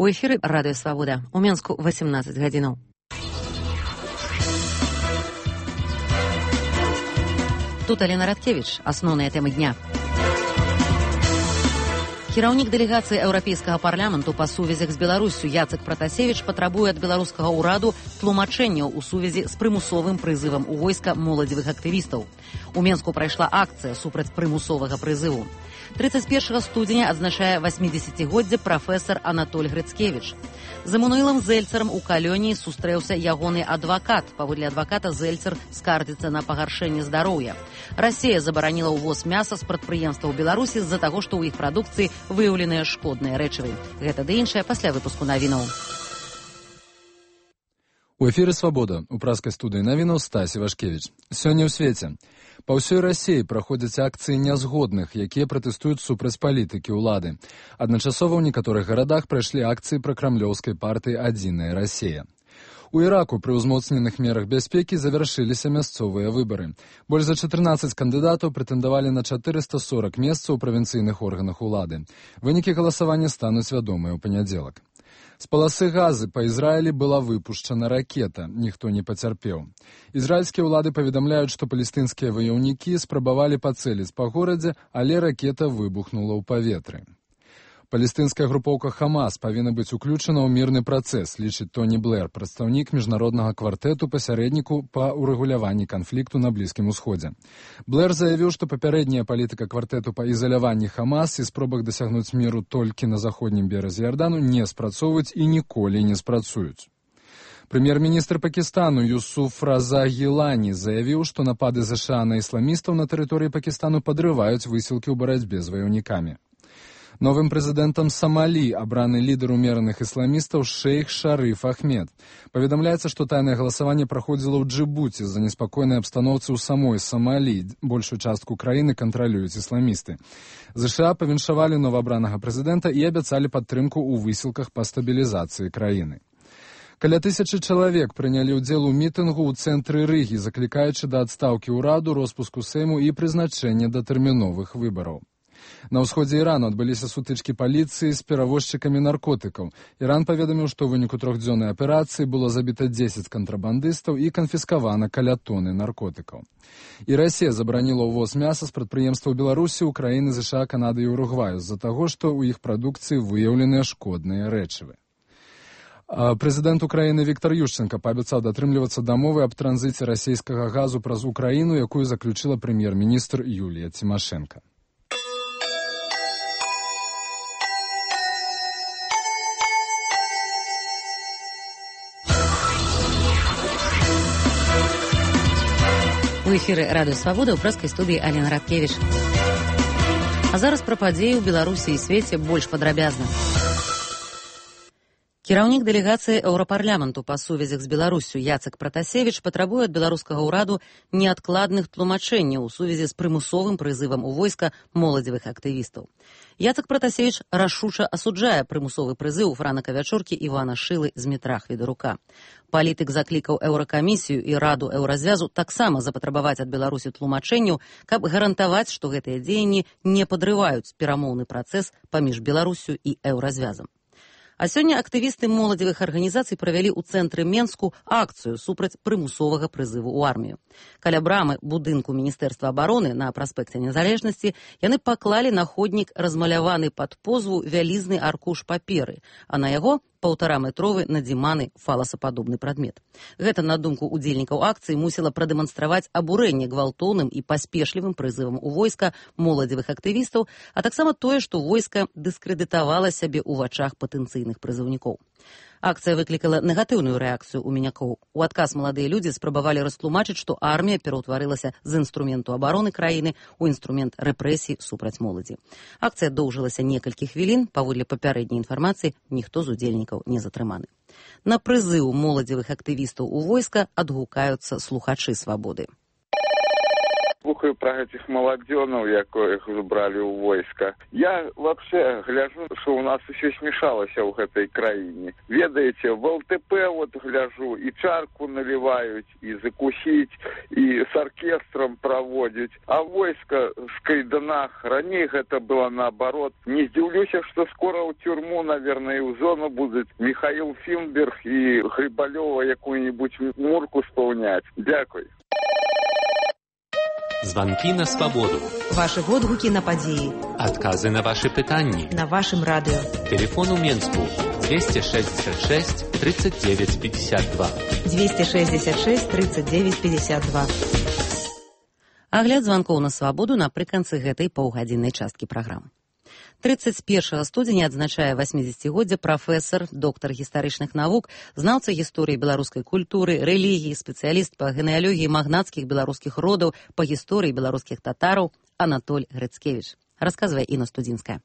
У эфіры радыё Свабода. У Менску 18 гадзінаў. Тут Алена Радкевіч. Асноўныя тэмы дня. Кіраўнік дэлегацыі Еўрапейскага парламенту па сувязях з Беларуссю Яцек Пратасевіч патрабуе ад беларускага ўраду тлумачэнняў у сувязі з прымусовым прызывам у войска моладзевых актывістаў. У Менску прайшла акцыя супраць прымусовага прызыву. 31 студзеня адзначае 80-годдзе прафесар Анатоль Грыцкевіч. З Эмануілам Зельцерам у Калёніі сустрэўся ягоны адвакат. Паводле адваката Зельцер скардзіцца на пагаршэнне здароўя. Расія забараніла ўвоз мяса з прадпрыемстваў Беларусі з-за таго, што ў іх прадукцыі выяўленыя шкодныя рэчывы. Гэта ды іншае пасля выпуску навінаў. У эфіры «Свабода» у праскай студыі навінаў Стасі Вашкевіч. Сёння ў свеце. Па ўсёй Расіі праходзяць акцыі нязгодных, якія пратэстуюць супраць палітыкі ўлады. Адначасова ў некаторых гарадах прайшлі акцыі пракрамлёўскай партыі «Адзіная Расія». У Іраку пры ўзмоцненых мерах бяспекі завяршыліся мясцовыя выбары. Больш за 14 кандыдатаў прэтэндавалі на 440 месцаў у правінцыйных органах улады. Вынікі галасавання стануць вядомыя ў панядзелак. З паласы Газы па Ізраілі была выпушчана ракета, ніхто не пацярпеў. Ізраільскія ўлады паведамляюць, што палестынскія ваяўнікі спрабавалі пацэліць па горадзе, але ракета выбухнула ў паветры. Палестынская групоўка «Хамас» павінна быць уключана ў мірны працэс, лічыць Тоні Блэр, прадстаўнік міжнароднага квартэту пасярэдніку па ўрэгуляванні канфлікту на Блізкім Усходзе. Блэр заявіў, што папярэдняя палітыка квартэту па ізаляванні «Хамас» і спробах дасягнуць міру толькі на заходнім беразе Ярдану не спрацоўваюць і ніколі не спрацуюць. Прэм'ер-міністр Пакістану Юсуф Раза Гілані заявіў, што напады ЗША на ісламістаў на тэрыторыі Пакістану падрываюць высілкі ў барацьбе з ваяўнікамі. Новым прэзідэнтам Самалі абраны лідар умераных ісламістаў шэйх Шарыф Ахмед. Паведамляецца, што тайнае галасаванне праходзіла ў Джыбуці з-за неспакойнай абстаноўцы ў самой Самалі. Большую частку краіны кантралююць ісламісты. ЗША павіншавалі новаабранага прэзідэнта і абяцалі падтрымку ў высілках па стабілізацыі краіны. Каля 1000 чалавек прынялі ўдзел у мітынгу ў цэнтры Рыгі, заклікаючы да адстаўкі ўраду, роспуску Сейму і прызначэння датэрміновых выбараў. На ўсходзе Ірану адбыліся сутычкі паліцыі з перавозчыкамі наркотыкаў. Іран паведаміў, што ў выніку 3-дзённай аперацыі было забіта 10 кантрабандыстаў і канфіскавана каля тоны наркотыкаў. І Расія забараніла ўвоз мяса з прадпрыемстваў Беларусі ў краіны ЗША, Канады і Уругваю з-за таго, што ў іх прадукцыі выяўленыя шкодныя рэчывы. Прэзідэнт Украіны Віктор Ющенка паабяцаў датрымлівацца дамовы аб транзіце расійскага газу праз Украіну, якую заключыла прэм'ер-міністр Юлія Цімашэнка. У эфіры радыё Свабода ў праскай студыі Алена Радкевіч. А зараз пра падзеі ў Беларусі і свеце больш падрабязна. Кіраўнік дэлегацыі Еўрапарламенту па сувязях з Беларуссю Яцек Пратасевіч патрабуе ад беларускага ўраду неадкладных тлумачэнняў у сувязі з прымусовым прызывам у войска моладзевых актывістаў. Яцек Пратасевіч рашуча асуджае прымусовы прызыў франака вячоркі Івана Шылы з метра Хведарука. Палітык заклікаў Еўракамісію і Раду Еўразвязу таксама запатрабаваць ад Беларусі тлумачэнняў, каб гарантаваць, што гэтыя дзеянні не падрываюць перамоўны працэс паміж Беларуссю і Еўразвязам. А сёння актывісты моладзевых арганізацый правялі ў цэнтры Менску акцыю супраць прымусовага прызыву ў армію. Каля брамы будынку Міністэрства абароны на праспекце Незалежнасці яны паклалі на ходнік размаляваны пад позву вялізны аркуш паперы, а на яго 1,5-метровы надзіманы фаласападобны прадмет. Гэта, на думку удзельнікаў акцыі, мусіла прадэманстраваць абурэнне гвалтоўным і паспешлівым прызывам у войска моладзевых актывістаў, а таксама тое, што войска дыскрэдытавала сябе ў вачах патэнцыйных прызыўнікоў. Акцыя выклікала негатыўную рэакцыю ў мінякоў. У адказ маладыя людзі спрабавалі растлумачыць, што армія пераўтварылася з інструменту абароны краіны ў інструмент рэпрэсій супраць моладзі. Акцыя доўжылася некалькі хвілін, паводле папярэдняй інфармацыі, ніхто з удзельнікаў не затрыманы. На прызыў моладзевых актывістаў у войска адгукаюцца слухачы Свабоды. Слухаю про этих молодёнов, яких забрали у войска. Я вообще гляжу, что у нас еще смешалось в этой краине. Ведаете, в ЛТП вот гляжу, и чарку наливают, и закусить, и с оркестром проводить. А войска в кайданах, ранее это было наоборот. Не здивлюсь, что скоро в тюрьму, наверное, и в зону будут Михаил Финберг и Грибалева якую-нибудь мурку исполнять. Дякую. Звонки на свободу. Ваши водгуки на події. Адказы на ваши пытанні. На вашем радио. Телефон у Менску 266 39 52. 266 39 52. Агляд званкоў на свабоду напрыканцы гэтай паўгадзіннай часткі праграмы. 31 студзеня адзначае 80-годдзе прафесар, доктар гістарычных навук, знаўца гісторыі беларускай культуры, рэлігіі, спецыяліст па генеалогіі магнацкіх беларускіх родаў, па гісторыі беларускіх татараў Анатоль Грыцкевіч. Расказвае Інна Студзінская.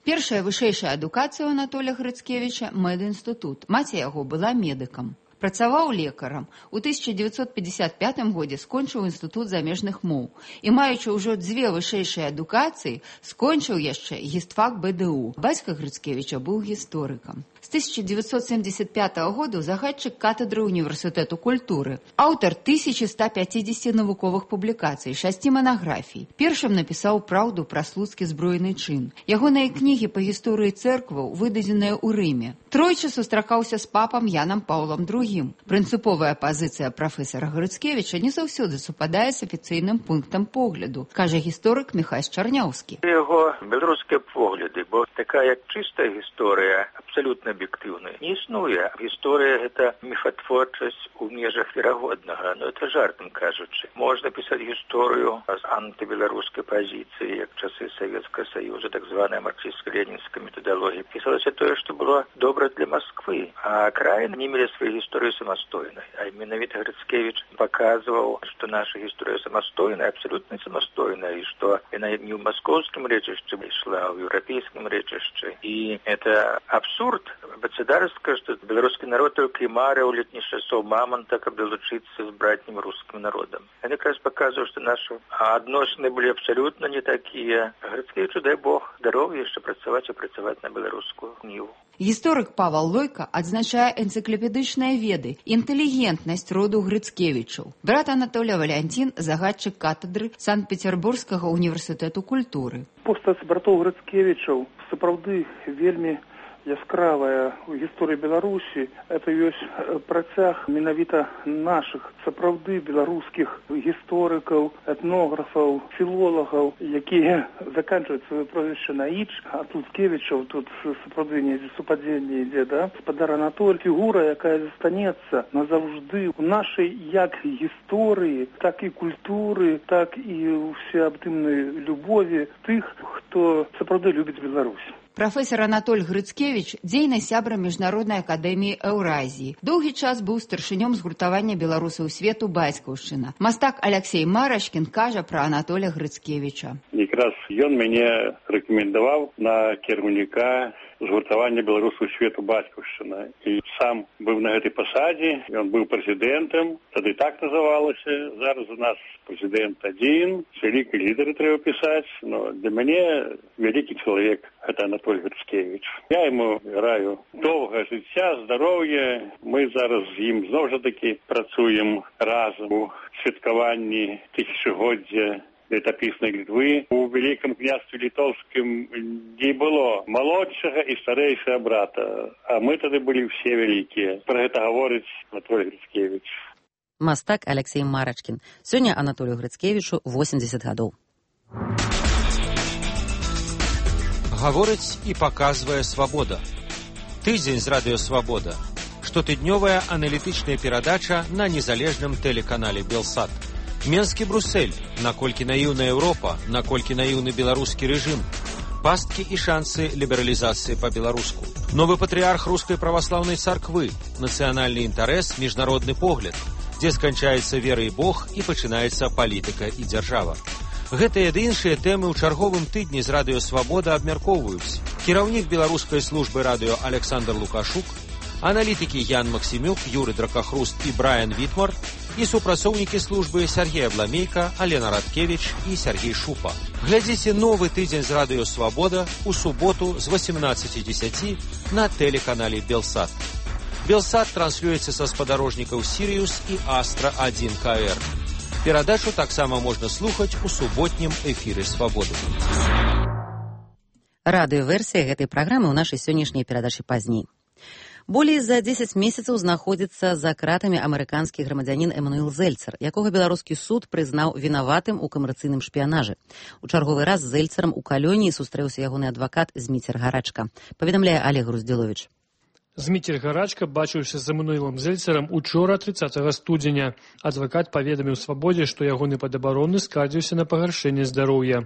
Першая вышэйшая адукацыя ў Анатоля Грыцкевіча – медінстытут. Маці яго была медыкам. Працаваў лекарам. У 1955 годзе скончыў інстытут замежных моў і, маючы ўжо 2 вышэйшыя адукацыі, скончыў яшчэ гістфак БДУ. Бацька Грыцкевіча быў гісторыкам. З 1975 года загадчык катедры універсітэту культуры. Аўтар 1150 навуковых публікацый, 6 манаграфій. Першым напісаў «Праўду пра слуцкі збройны чын». Ягоныя кнігі па гісторыі цэркваў выдадзеныя ў Рыме. Тройчы сустракаўся з папам Янам Паўлам II. Прынцыповая пазіцыя прафесара Грыцкевіча не заўсёды супадае з афіцыйным пунктам погляду, кажа гісторык Міхась Чарняўскі. Яго беларускія погляды, бо такая чыстая гісторыя, абсалютна аб'ектыўная, не існуе. Гісторыя – гэта міфатворчасць у межах верагоднага, но это жартам кажучы. Можна пісаць гісторыю з антыбеларускай пазіцыі, як часы Савецкага Саюза, так званая марксістска-ленінская методалогія. Пісалася тое, што было добра для Москвы, а краіны не мелі свае гісторыі самастойнай. А менавіта Грыцкевіч паказваў, што наша гісторыя самастойная, абсалютна самастойная, і што яна не ў маскоўскім рэчышчы ішла, а ў еўрапейскім рэчышчы. І это абсурд. Бацадарска, што беларускі народ толькі марыў летніх часоў мамонта, каб далучыцца з братнім рускім народам. Яны якраз паказваў, што нашы адносіны былі абсалютна не такія. Грыцкевічу, дай Бог, здароўя яшчэ працаваць і працаваць на беларускую ніву. Гісторык Павал Лойка адзначае энцыклапедычныя веды, інтэлігентнасць роду Грыцкевічаў. Брат Анатоля Валянцін – загадчык катедры Санкт-Петербургскага універсітэту культуры. Постаць братоў Грыцкевічаў сапраўды вельмі яскравая у гісторыі Беларусі. Это ёсць працяг менавіта нашых сапраўды беларускіх гісторыкаў, этнографаў, філолагаў, якія заканчваюць сваё прозвішча на «іч», а Грыцкевічаў тут сапраўды недзе супадзенне ідзе, да? Спадар Анатоль – фігура, якая застанецца назаўжды у нашай як гісторыі, так і культуры, так і ўсеабдымнай любові тых, хто сапраўды любіць Беларусь. Прафесар Анатоль Грыцкевіч – дзейны сябра Міжнароднай акадэміі Еўразіі. Доўгі час быў старшынём згуртавання беларусаў свету «Бацькаўшчына». Мастак Аляксей Марашкін кажа пра Анатоля Грыцкевіча. Якраз ён мяне рэкамендаваў на кіраўніка згуртавання беларусаў свету «Бацькаўшчына». І сам быў на гэтай пасадзе, ён быў прэзідэнтам, тады так называлася. Зараз у нас прэзідэнт адзін, вялікі лідары трэба пісаць, но для мяне вялікі чалавек – гэта Анатоль Грыцкевіч. Я яму раю доўга жыцця, здароўя. Мы зараз з ім зноў жа такі працуем разам у святкаванні тысячагоддзя летапіснай Літвы. У Вялікім княстве літоўскім не было малодшага і старэйшага брата, а мы тады былі ўсе вялікія. Пра гэта гаворыць Анатоль Грыцкевіч. Мастак Аляксей Марачкін. Сёння Анатолю Грыцкевічу 80 гадоў. Гаворыць і паказвае «Свабода». Тыдзень з радыё «Свабода». Штотыднёвая аналітычная перадача на незалежным тэлеканале «Белсат». Менскі Брусэль. Наколькі наіўна Еўропа, наколькі наіўны беларускі рэжым. Пасткі і шансы лібералізацыі па-беларуску. Новы патрыарх рускай праваслаўнай царквы. Нацыянальны інтарэс, міжнародны погляд. Дзе сканчаецца вера і Бог і пачынаецца палітыка і дзяржава. Гэтыя ды іншыя тэмы ў чарговым тыдні з радыё «Свабода» абмяркоўваюць кіраўнік беларускай службы радыё Александр Лукашук, аналітыкі Ян Максімюк, Юры Дракахруст і Брайан Вітмар, і супрацоўнікі службы Сергей Абламейка, Алена Радкевич і Сергей Шупа. Глядзіце новы тыдзень з радыё «Свабода» у суботу з 18:10 на тэлеканале «Белсат». «Белсат» транслюецца са спадарожнікаў «Сіриус» і «Астра-1 КР». Перадачу таксама можна слухаць у суботнім эфіры «Свабоды». Радыёверсія гэтай праграмы ў нашай сённяшняй перадачы пазней. Болей за 10 месяцаў знаходзіцца за кратамі амерыканскі грамадзянін Эмануэл Зельцер, якога беларускі суд прызнаў вінаватым у камерцыйным шпіянажы. У чарговы раз з Зельцерам у калоніі сустрэўся ягоны адвакат Зміцер Гарачка. Паведамляе Олег Груздзіловіч. Зміцер Гарачка бачыўся з Эмануэлам Зельцерам учора 30 студзеня. Адвакат паведаміў «Свабодзе», што ягоны падабаронны скардзіўся на пагаршэнне здароўя.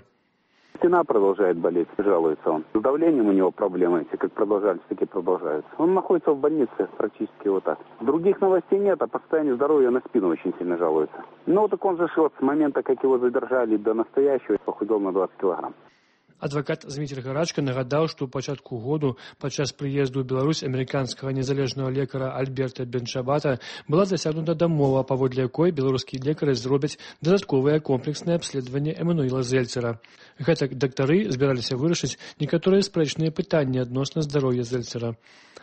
Спина продолжает болеть, жалуется он. С давлением у него проблемы, эти как продолжались, так и продолжаются. Он находится в больнице практически вот так. Других новостей нет, а по состоянию здоровья на спину очень сильно жалуется. Ну так он же вот с момента, как его задержали до настоящего, похудел на 20 килограмм. Адвакат Зміцер Гарачка нагадаў, што ў пачатку году падчас прыезду ў Беларусь амерыканскага незалежнага лекара Альберта Бенчабата была дасягнута дамова, паводле якой беларускія лекары зробяць дадатковае комплекснае абследаванне Эмануэла Зельцера. Гэтак дактары збіраліся вырашыць некаторыя спрэчныя пытанні адносна здароўя Зельцера.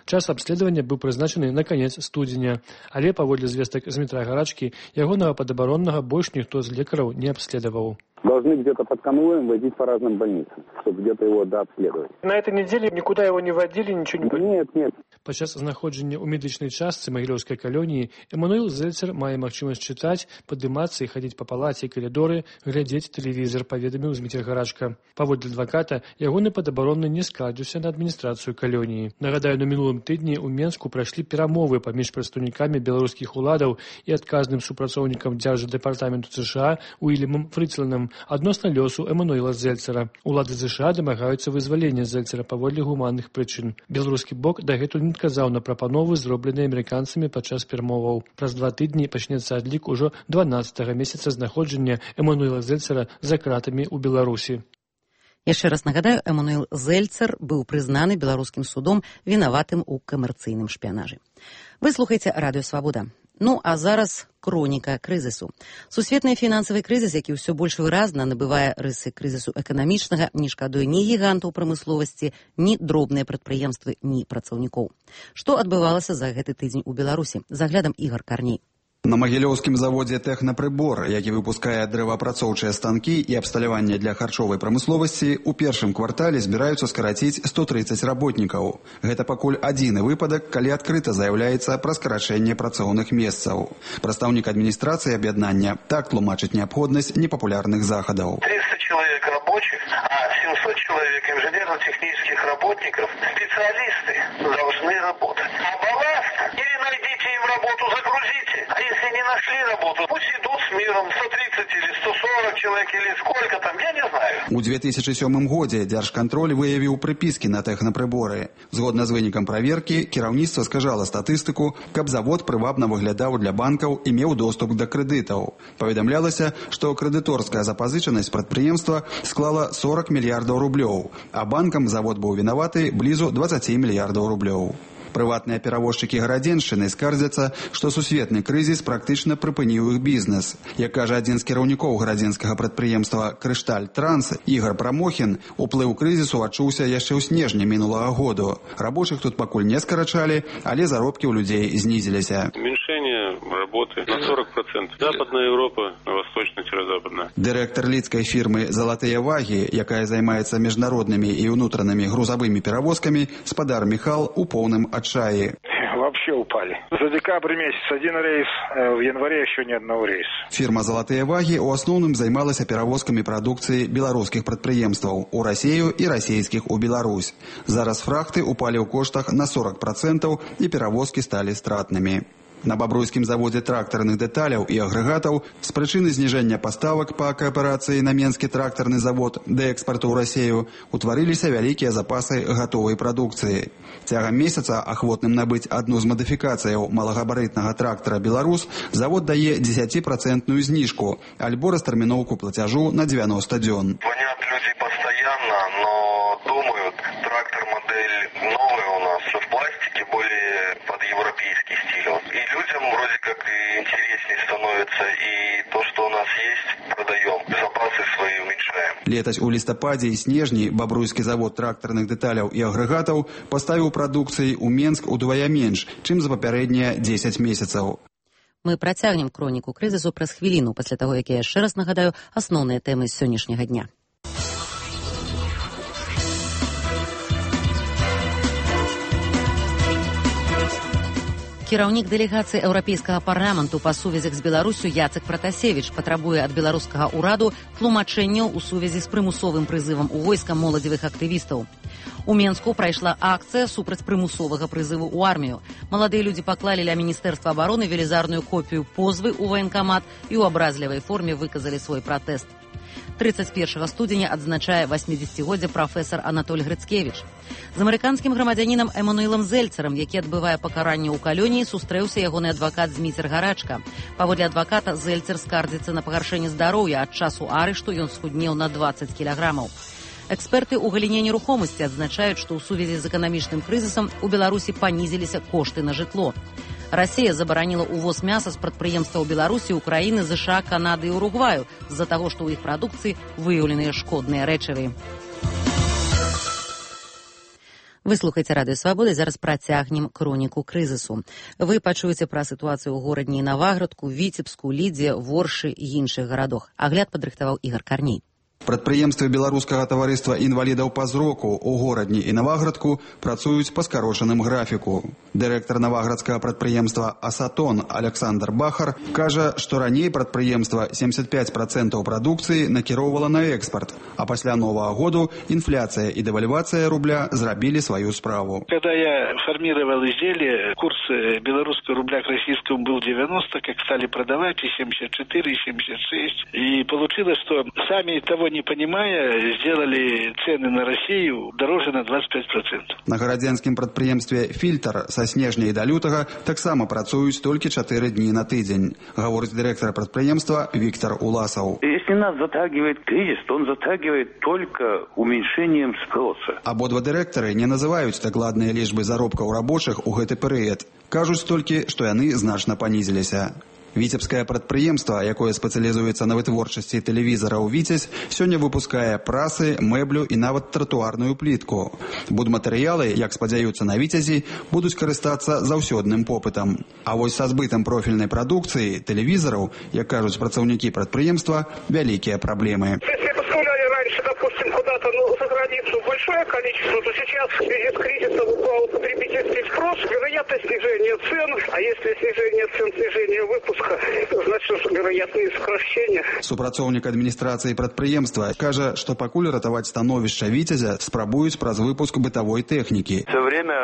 Час абследавання быў прызначаны на канец студзеня, але паводле звестак Змітра Гарачкі ягонага падабароннага больш ніхто з лекараў не абследаваў. Должны где-то под конвоем возить по разным больницам, чтобы где-то его дообследовать. На этой неделе никуда его не водили, ничего не... Нет. Падчас знаходжання ў медычнай частцы магілёўскай калоніі Эмануэл Зельцер мае магчымасць чытаць, падымацца і хадзіць па палаце і калідоры, глядзець тэлевізор, паведаміў Зміцер Гарачка. Паводле адваката, ягоны падабаронны не скардзіўся на адміністрацыю калоніі. Нагадаю, на мінулым тыдні ў Менску прайшлі перамовы паміж прадстаўнікамі беларускіх уладаў і адказным супрацоўнікам дзярждэпартаменту США Уільямам Фрыцланам адносна лёсу Эмануэла Зельцера. Улады США дамагаюцца вызвалення Зельцера паводле гуманных прычын. Беларускі бок дагэтуль не адказаў на прапановы, зробленыя амерыканцамі падчас перамоваў. Праз 2 тыдні пачнецца адлік ужо 12-го месяца знаходжання Эмануэла Зельцера за кратамі ў Беларусі. Яшчэ раз нагадаю, Эмануэл Зельцер быў прызнаны беларускім судом вінаватым у камерцыйным шпіянажы. Вы слухаеце радыё «Свабода». Ну, а зараз хроніка крызісу. Сусветны фінансавы крызіс, які ўсё больш выразна набывае рысы крызісу эканамічнага, не шкадуе ні гігантаў прамысловасці, ні дробныя прадпрыемствы, ні працаўнікоў. Што адбывалася за гэты тыдзень у Беларусі? За аглядам Ігор Карней. На магілёўскім заводзе «Тэхнапрыбор», які выпускае дрэваапрацоўчыя станкі і абсталяванне для харчовай прамысловасці, у першым квартале збіраюцца скараціць 130 работнікаў. Гэта пакуль адзіны выпадак, калі адкрыта заяўляецца пра скарачэнне працоўных месцаў. Прадстаўнік адміністрацыі аб'яднання так тлумачыць неабходнасць непапулярных захадаў. 300 человек рабочих, а 700 человек инженерно-технических работников, специалисты должны работать. А балласт или найдите им работу, загрузите. А если не нашли работу, пусть идут с миром 130 или 140 человек или сколько там, я не знаю. У 2007 годзе Дзяржкантроль выявіў прыпіскі на тэхнапрыборы. Згодна з вынікам праверкі, кіраўніцтва скажала статыстыку, каб завод прывабна выглядаў для банкаў і меў доступ да крэдытаў. Паведамлялася, што крэдыторская запазычанасць прадпрыемства склала 40 мільярдаў рублёў, а банкам завод быў вінаваты блізу 20 мільярдаў рублёў. Прыватныя перавозчыкі гарадзеншчыны скардзяцца, што сусветны крызіс практычна прыпыніў іх бізнес. Як кажа адзін з кіраўнікоў гарадзенскага прадпрыемства «Крышталь Транс» Ігор Прамохін, уплыў крызісу адчуўся яшчэ ў снежні минулага году. Рабочых тут пакуль не скарачалі, але заробкі ў людзей знізіліся. Уменьшение работы на 40%. Западная Европа, восточно-западная. Дырэктар лідскай фірмы «Залатыя вагі», якая займаецца міжнароднымі і ўнутранымі грузавымі перавозкамі, спадар Міхал у поўным отчаянии. Вообще упали. За декабрь месяц один рейс, в январе еще ни одного рейса. Фирма «Золотые ваги» у основном займалася перевозками продукции белорусских предприемстваў у Россию и российских у Беларусь. Зараз фрахты упали у коштах на 40% и перевозки стали стратными. На бабруйскім заводзе трактарных дэталяў і агрэгатаў з прычыны зніжэння паставак па кааперацыі на Менскі трактарны завод да экспарту ў Расію утварыліся вялікія запасы гатовай прадукцыі. Цягам месяца ахвотным набыць адну з мадыфікацыяў малагабарытнага трактара «Беларус» завод дае 10% зніжку альбо растэрміноўку плацяжу на 90 дзён. Звонят люди постоянно, но думают, трактор модель новая у нас, в пластике, более под европейский стиль. И люди людям вроде как и интереснее становится, и то, что у нас есть, продаем, запасы свои уменьшаем. Летась у лістападзе і снежні бабруйскі завод трактарных дэталяў і агрэгатаў паставіў прадукцыі ў Менск удвая менш, чым за папярэднія 10 месяцаў. Мы працягнем хроніку крызісу праз хвіліну, пасля таго, як я яшчэ раз нагадаю асноўныя тэмы сённяшняга дня. Кіраўнік дэлегацыі Еўрапейскага парламенту па сувязях з Беларусю Яцек Пратасевіч патрабуе ад беларускага ўраду тлумачэнняў у сувязі з прымусовым прызывам у войска моладзевых актывістаў. У Менску прайшла акцыя супраць прымусовага прызыву ў армію. Маладыя людзі паклалі ля Міністэрства абароны велізарную копію позвы ў ваенкамат і ў абразлівай форме выказалі свой пратэст. 31 студзеня адзначае 80-годдзе прафесар Анатоль Грыцкевіч. З амерыканскім грамадзянінам Эмануэлам Зельцерам, які адбывае пакаранне ў калоніі, сустрэўся ягоны адвакат Зміцер Гарачка. Паводле адваката, Зельцер скардзіцца на пагаршэнне здароўя. Ад часу арышту ён схуднеў на 20 кілаграмаў. Эксперты ў галіне нерухомасці адзначаюць, што ў сувязі з эканамічным крызісам у Беларусі панізіліся кошты на жытло. Расія забараніла ўвоз мяса з прадпрыемстваў Беларусі, Украіны, ЗША, Канады і Уругваю з-за таго, што ў іх прадукцыі выяўленыя шкодныя рэчывы. Вы слухаеце Радыё Свабода, зараз працягнем хроніку крызісу. Вы пачуеце пра сітуацыю ў горадні Наваградку, Віцебску, Лідзе, Воршы і іншых гарадах. Агляд падрыхтаваў Ігар Карней. Прадпрыемствы беларускага таварыства інвалідаў па зроку ў горадні і Наваградку працуюць па скарошаным графіку. Дырэктар наваградскага прадпрыемства «Асатон» Александр Бахар кажа, што раней прадпрыемства 75% прадукцыі накіроўвала на экспарт, а пасля Новага году инфляция и девальвация рубля зрабілі свою справу. Когда я формировал изделие, курс белорусского рубля к российскому был 90, как стали продавать, и 74, и 76. И получилось, что сами того не понимая, сделали цены на Россию дороже на 25%. На гарадзенскім прадпрыемстве «Фильтр» са снежня і да лютага таксама працуюць толькі 4 дні на тыдзень, гаворыць дырэктар прадпрыемства Виктор Уласаў. Если нас затягивает кризис, то он затягивает только уменьшением спроса. Абодва дырэктары не называюць дакладныя лічбы заробкаў рабочых у гэты перыяд. Кажуць толькі, што яны значна панізіліся. Віцебскае прадпрыемства, якое спецыялізуецца на вытворчасці тэлевізараў «Віцязь», сёння выпускае прасы, мэблю і нават тратуарную плітку. Будматэрыялы, як спадзяюцца на «Віцязі», будуць карыстацца заўсёдным попытам. А вось са збытам профільнай прадукцыі, тэлевізараў, як кажуць працаўнікі прадпрыемства, вялікія праблемы. Допустим, куда-то за границу большое количество, то сейчас в связи с кризисом упал потребительский спрос, вероятность снижения цен, а если снижение цен, снижение выпуска, значит, вероятные сокращения. Супрацоўнік адміністрацыі прадпрыемства кажа, што пакуль ратаваць становішча «Віцязя» спрабуюць праз выпуск бытовой техники. Все время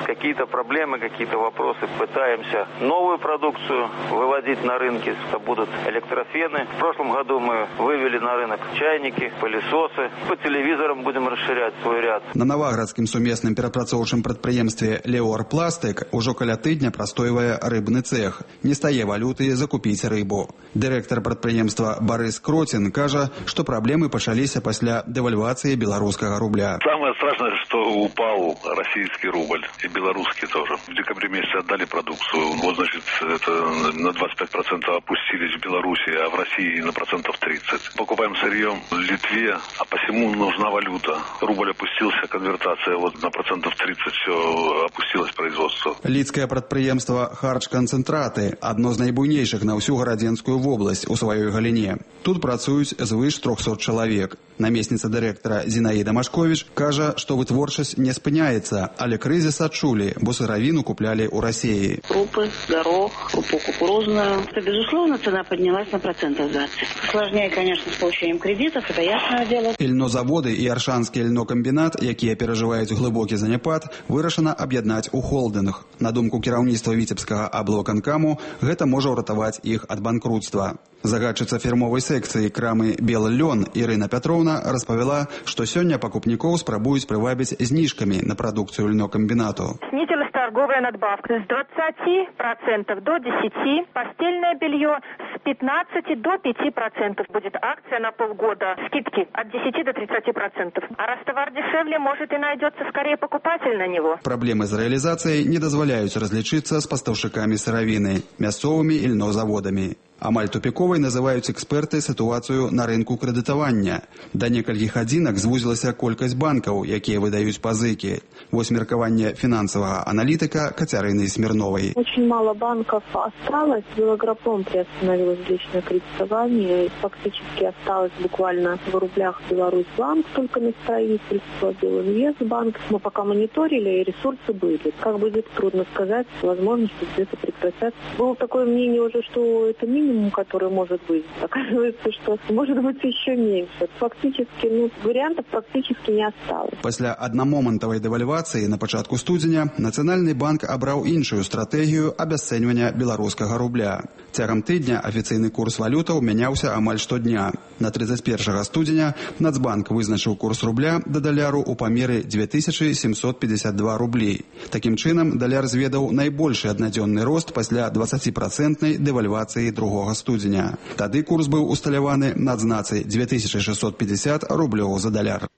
какие-то проблемы, какие-то вопросы. Пытаемся новую продукцию выводить на рынки. Это будут электрофены. В прошлом году мы вывели на рынок чайники, пылесосы. По телевизорам будем расширять свой ряд. На наваградскім сумесным перапрацоўчым прадпрыемстве «Леор Пластык» ужо каля тыдня прастойвае рыбны цех. Не стае валюты закупіць рыбу. Дырэктар прадпрыемства Борис Кротин кажа, што праблемы пачаліся пасля дэвальвацыі беларускага рубля. Самое страшное, что упал российский рубль и белорусский тоже. В декабре месяце отдали продукцию. Вот, значит, это на 25% опустились в Беларуси, а в России на процентов 30. Покупаем сырье в Литве, а посему нужна валюта. Рубль опустился, конвертация вот на процентов 30 все опустилось производство. Лідскае прадпрыемства «Харч-канцэнтраты» адно з найбуйнейшых на ўсю гарадзенскую вобласць у сваёй галіне. Тут працуюць звыш 300 чалавек. Намесніца дырэктара Зінаіда Машковіч кажа, што вытворчасць не спыняецца, але крызіс адчулі, бо сыравіну куплялі ў Расіі. Крупы, горох, крупу кукурузную. Безусловно, цена поднялась на процентов 20. Сложнее, конечно, с получением кредитов, это ясное дело. Льнозаводы і Аршанскі льнокамбінат, якія перажываюць глыбокі заняпад, вырашана аб'яднаць у холдынг. На думку кіраўніцтва Віцебскага аблвыканкаму, гэта можа ўратаваць іх ад банкрутства. Загадчыца фірмовай секцыі крамы «Белы лён» Ірына Пятровна распавяла, што сёння пакупнікоў спрабуюць прывабіць зніжкамі на прадукцыю льнокамбінату. Снизилась торговая надбавка с 20% до 10%, постельное белье с 15 до 5% будет акция на полгода. Скидки от 10 до 30%. А раз товар дешевле, может и найдется скорее покупатель на него. Проблемы з рэалізацыяй не дазваляюць разлічыцца з пастаўшчыкамі сыравіны, мясцовымі і льнозаводамі. Амаль тупіковай называюць эксперты сітуацыю на рынку крэдытавання. Да некалькіх адзінак звузілася колькасць банкаў, якія выдаюць пазыкі. Вось меркаванне фінансавага аналітыка Кацярыны Смирновой. Очень мало банков осталось. Белагропом приостановилось личное кредитование. Фактически осталось буквально в рублях Беларусьбанк только на строительство, Белинвестбанк. Мы пока мониторили, и ресурсы были. Как будет, трудно сказать, возможности где-то прекратятся. Было такое мнение уже, что это минимум, который может быть. Оказывается, что может быть еще меньше. Фактически, вариантов практически не осталось. Пасля аднамомантавай дэвальвацыі на пачатку студзеня Нацыянальны банк абраў іншую стратэгію абясцэньвання беларускага рубля. Цягам тыдня афіцыйны курс валютаў мяняўся амаль штодня. На 31 студзеня Нацбанк вызначыў курс рубля да даляру ў памеры 2752 рублі. Такім чынам, даляр зведаў найбольшы аднадзённы рост пасля 20% дэвальвацыі другога студзеня. Тады курс быў усталяваны на адзнацы 2650 рублёў за даляр.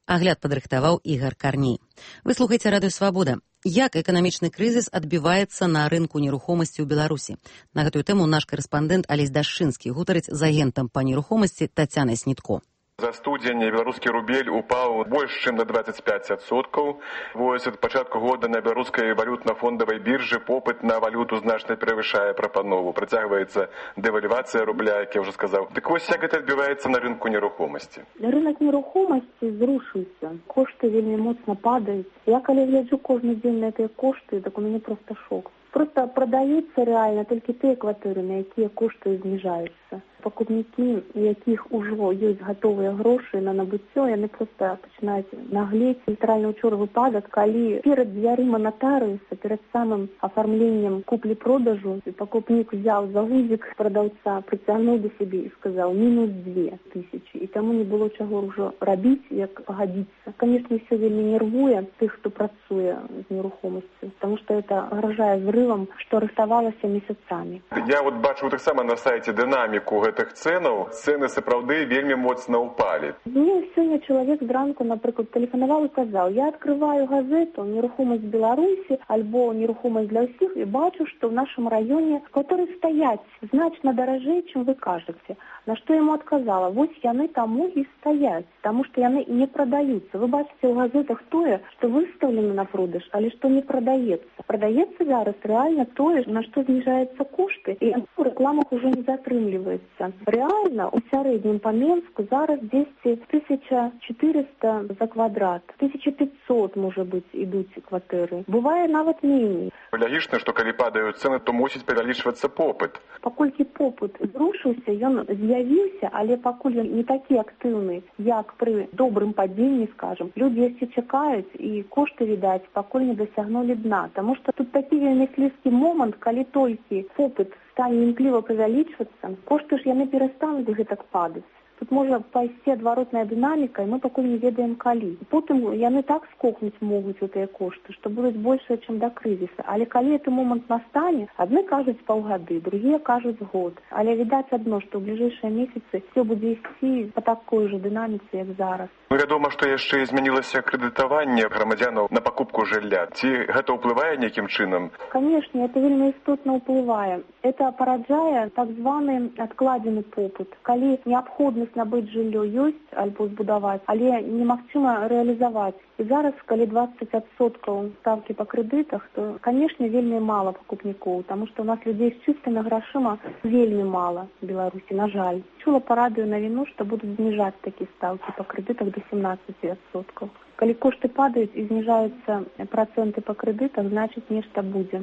Агляд падрыхтаваў Ігар Карней. Вы слухаеце Радыё Свабода. Як эканамічны крызіс адбіваецца на рынку нерухомасці ў Беларусі? На гэтую тэму наш корэспандэнт Алесь Дашчынскі гутарыць з агентам па нерухомасці Тацянай Снітко. За студзень беларускі рубель упаў больш чым на 25%. Вось ад пачатку года на беларускай валютна-фондавай біржы попыт на валюту значна перавышае прапанову. Працягваецца дэвальвацыя рубля, як я ўжо сказаў. Дык вось як гэта адбіваецца на рынку нерухомасці? Рынок нерухомасці зрушыўся. Кошты вельмі моцна падаюць. Я калі гляджу кожны дзень на гэтыя кошты, так у мяне проста шок. Просто продаются реально только те квартиры, на якія кошты зніжаюцца. Пакупнікі, у якіх ужо ёсць гатовыя грошы на набыццё, яны проста пачынаюць наглець. Літаральна ўчора выпадак, калі перад дзвярыма натарыуса, перад самым афармленнем куплі-продажу, пакупнік взяў за гузік прадаўца, прыцягнуў да сябе і сказаў мінус 2000. І таму не было чаго ўжо рабіць, як пагадзіцца. Конечно, ўсё вельмі нервуе тых, хто працуе з нерухомасцю, потому что это гражае зрывам, што рыхтавалася месяцамі. Я вот бачу таксама на сайце дынаміку гэтых цэнаў. Цэны сапраўды вельмі моцна ўпалі. Мне сёння чалавек зранку, напрыклад, тэлефанаваў і казаў: я открываю газету «Нерухомасць Беларусі» альбо «Нерухомасць для ўсіх» і бачу, што в нашем раёне кватэры стаяць значна даражэй, чым вы кажаце. На што яму адказала: вось яны таму і стаяць, таму што яны не прадаюцца. Вы бачыце ў газетах тое, што выстаўлена на продаж, але што не прадаецца. Прадаецца зараз рэальна тое, на што зніжаюцца кошты, і у рэкламах ужо не затрымліваецца. Рэальна у сярэднім па Менску зараз 1400 за квадрат, 1500, можа быць, ідуць кватэры. Бывае нават меней. Лагічна, што калі падаюць цэны, то мусіць павялічвацца попыт. Паколькі попыт зрушыўся, ён з'явіўся, але пакуль ён не такі актыўны, як пры добрым падзенні, скажам. Людзі яшчэ чакаюць, і кошты, відаць, пакуль не дасягнулі дна. Таму што тут такі вельмі слізкі момант, калі толькі попыт стане імкліва павялічвацца, кошты ж яны перастануць гэтак падаць. Тут можа пайсці адваротная дынаміка, і мы пакуль не ведаем калі. Потым яны так скокнуць могуць гэтыя кошты, што будуць большыя, чым да крызіса. Але калі гэты момант настане, адны кажуць паўгады, другія кажуць год. Але відаць адно, што ў бліжэйшыя месяцы все будзе ісці па такой жа дынаміцы, як зараз. Вядома, што яшчэ змянілася крэдытаванне грамадзянаў на пакупку жылля. Ці гэта ўплывае нейкім чынам? Канешне, это вельмі істотна ўплывае. Это параджае так званы адкладзены попыт. Калі неабходнасць набыць жыллё ёсць альбо збудаваць, але немагчыма рэалізаваць. І зараз, калі 20% ставкі па крэдытах, то, канешне, вельмі мала пакупнікоў, таму што ў нас людзей з чыстымі грашыма вельмі мала в Беларусі, на жаль. Чула па радыё навіну, што будуць зніжаць такія ставкі па крэдытах до 17%. Калі кошты падаюць і зніжаюцца працэнты па крэдытах, значыць, нешта будзе.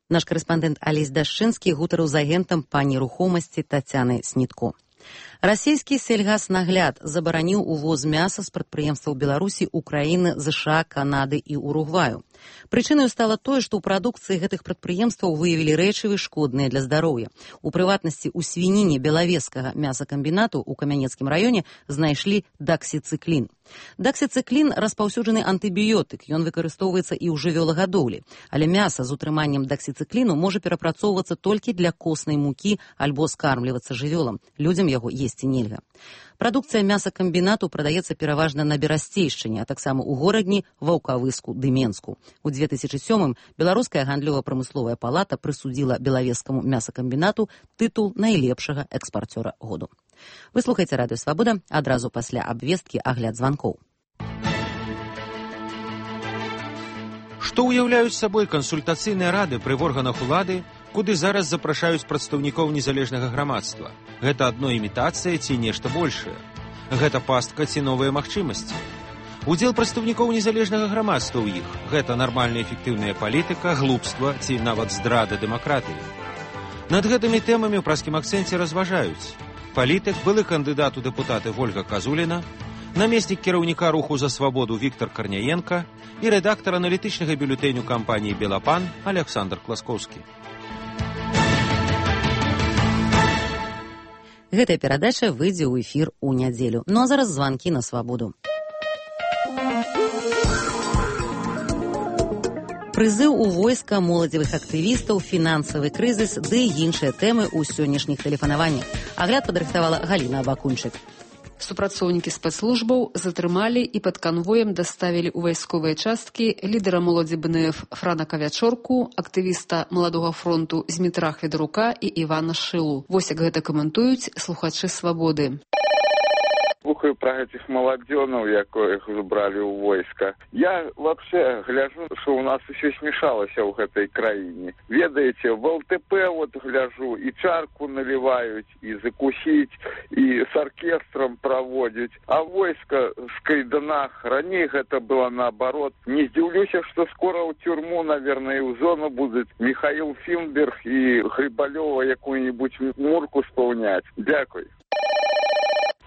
Наш корэспандэнт Алесь Дашчынскі гутарыў з агентам па нерухомасці Тацянай Снітко. Расійскі сельгаснагляд забараніў увоз мяса з прадпрыемстваў Беларусі, Украіны, ЗША, Канады і Уругваю. Прычынаю стала тое, што ў прадукцыі гэтых прадпрыемстваў выявілі рэчывы шкодныя для здароўя. У прыватнасці, у свініне Белавежскага мясакамбінату ў Камянецкім раёне знайшлі даксіцыклін. Даксіцыклін распаўсюджаны антыбіётык, ён выкарыстоўваецца і ў жывёлагадоўлі, але мяса з утрыманнем даксіцыкліну можа перапрацоўвацца толькі для коснай мукі альбо скармлівацца жывёлам. Людзям яго есці нельга. Прадукцыя мясакамбінату прадаецца пераважна на Берасцейшчыне, а таксама ў Горадні, Ваўкавыску ды Менску. У 2007-м Беларуская гандлёва-прамысловая палата прысудзіла Белавежскаму мясакамбінату тытул найлепшага экспарцёра году. Вы слухаеце радыё Свабода, адразу пасля абвесткі агляд званкоў. Што ўяўляюць сабой кансультацыйныя рады пры органах улады, куды зараз запрашаюць прадстаўнікоў незалежнага грамадства? Гэта адно імітацыя ці нешта большае? Гэта пастка ці новыя магчымасці? Удзел прадстаўнікоў незалежнага грамадства ў іх – гэта нармальная эфектыўная палітыка, глупства ці нават здрада дэмакратыі. Над гэтымі тэмамі ў праскім акцэнце разважаюць палітык, былы кандыдат у дэпутаты Вольга Казуліна, намеснік кіраўніка руху за свабоду Віктор Карняенка і рэдактар аналітычнага бюлетэню кампаніі «Белапан» Александр Класкоўскі. Гэтая перадача выйдзе ў эфір у нядзелю. Ну а зараз званкі на свабоду. Прызыў у войска моладзевых актывістаў, фінансавы крызіс ды іншыя тэмы ў сённяшніх тэлефанаваннях. Агляд падрыхтавала Галіна Абакунчык. Супрацоўнікі спецслужбаў затрымалі і пад канвоем даставілі ў вайсковыя часткі лідара моладзі БНФ Франака Вячорку, актывіста Маладога фронту Змітра Хведарука і Івана Шылу. Вось як гэта каментуюць слухачы Свабоды. Слухаю про этих молодёнов, яких забрали у войска. Я вообще гляжу, что у нас еще смешалось в этой краине. Ведаете, в ЛТП вот гляжу, и чарку наливают, и закусить, и с оркестром проводить. А войско в кайданах, ранее это было наоборот. Не здивлюсь, что скоро в тюрьму, наверное, и в зону будут Михаил Финберг и Грибалева какую-нибудь мурку исполнять. Дякую.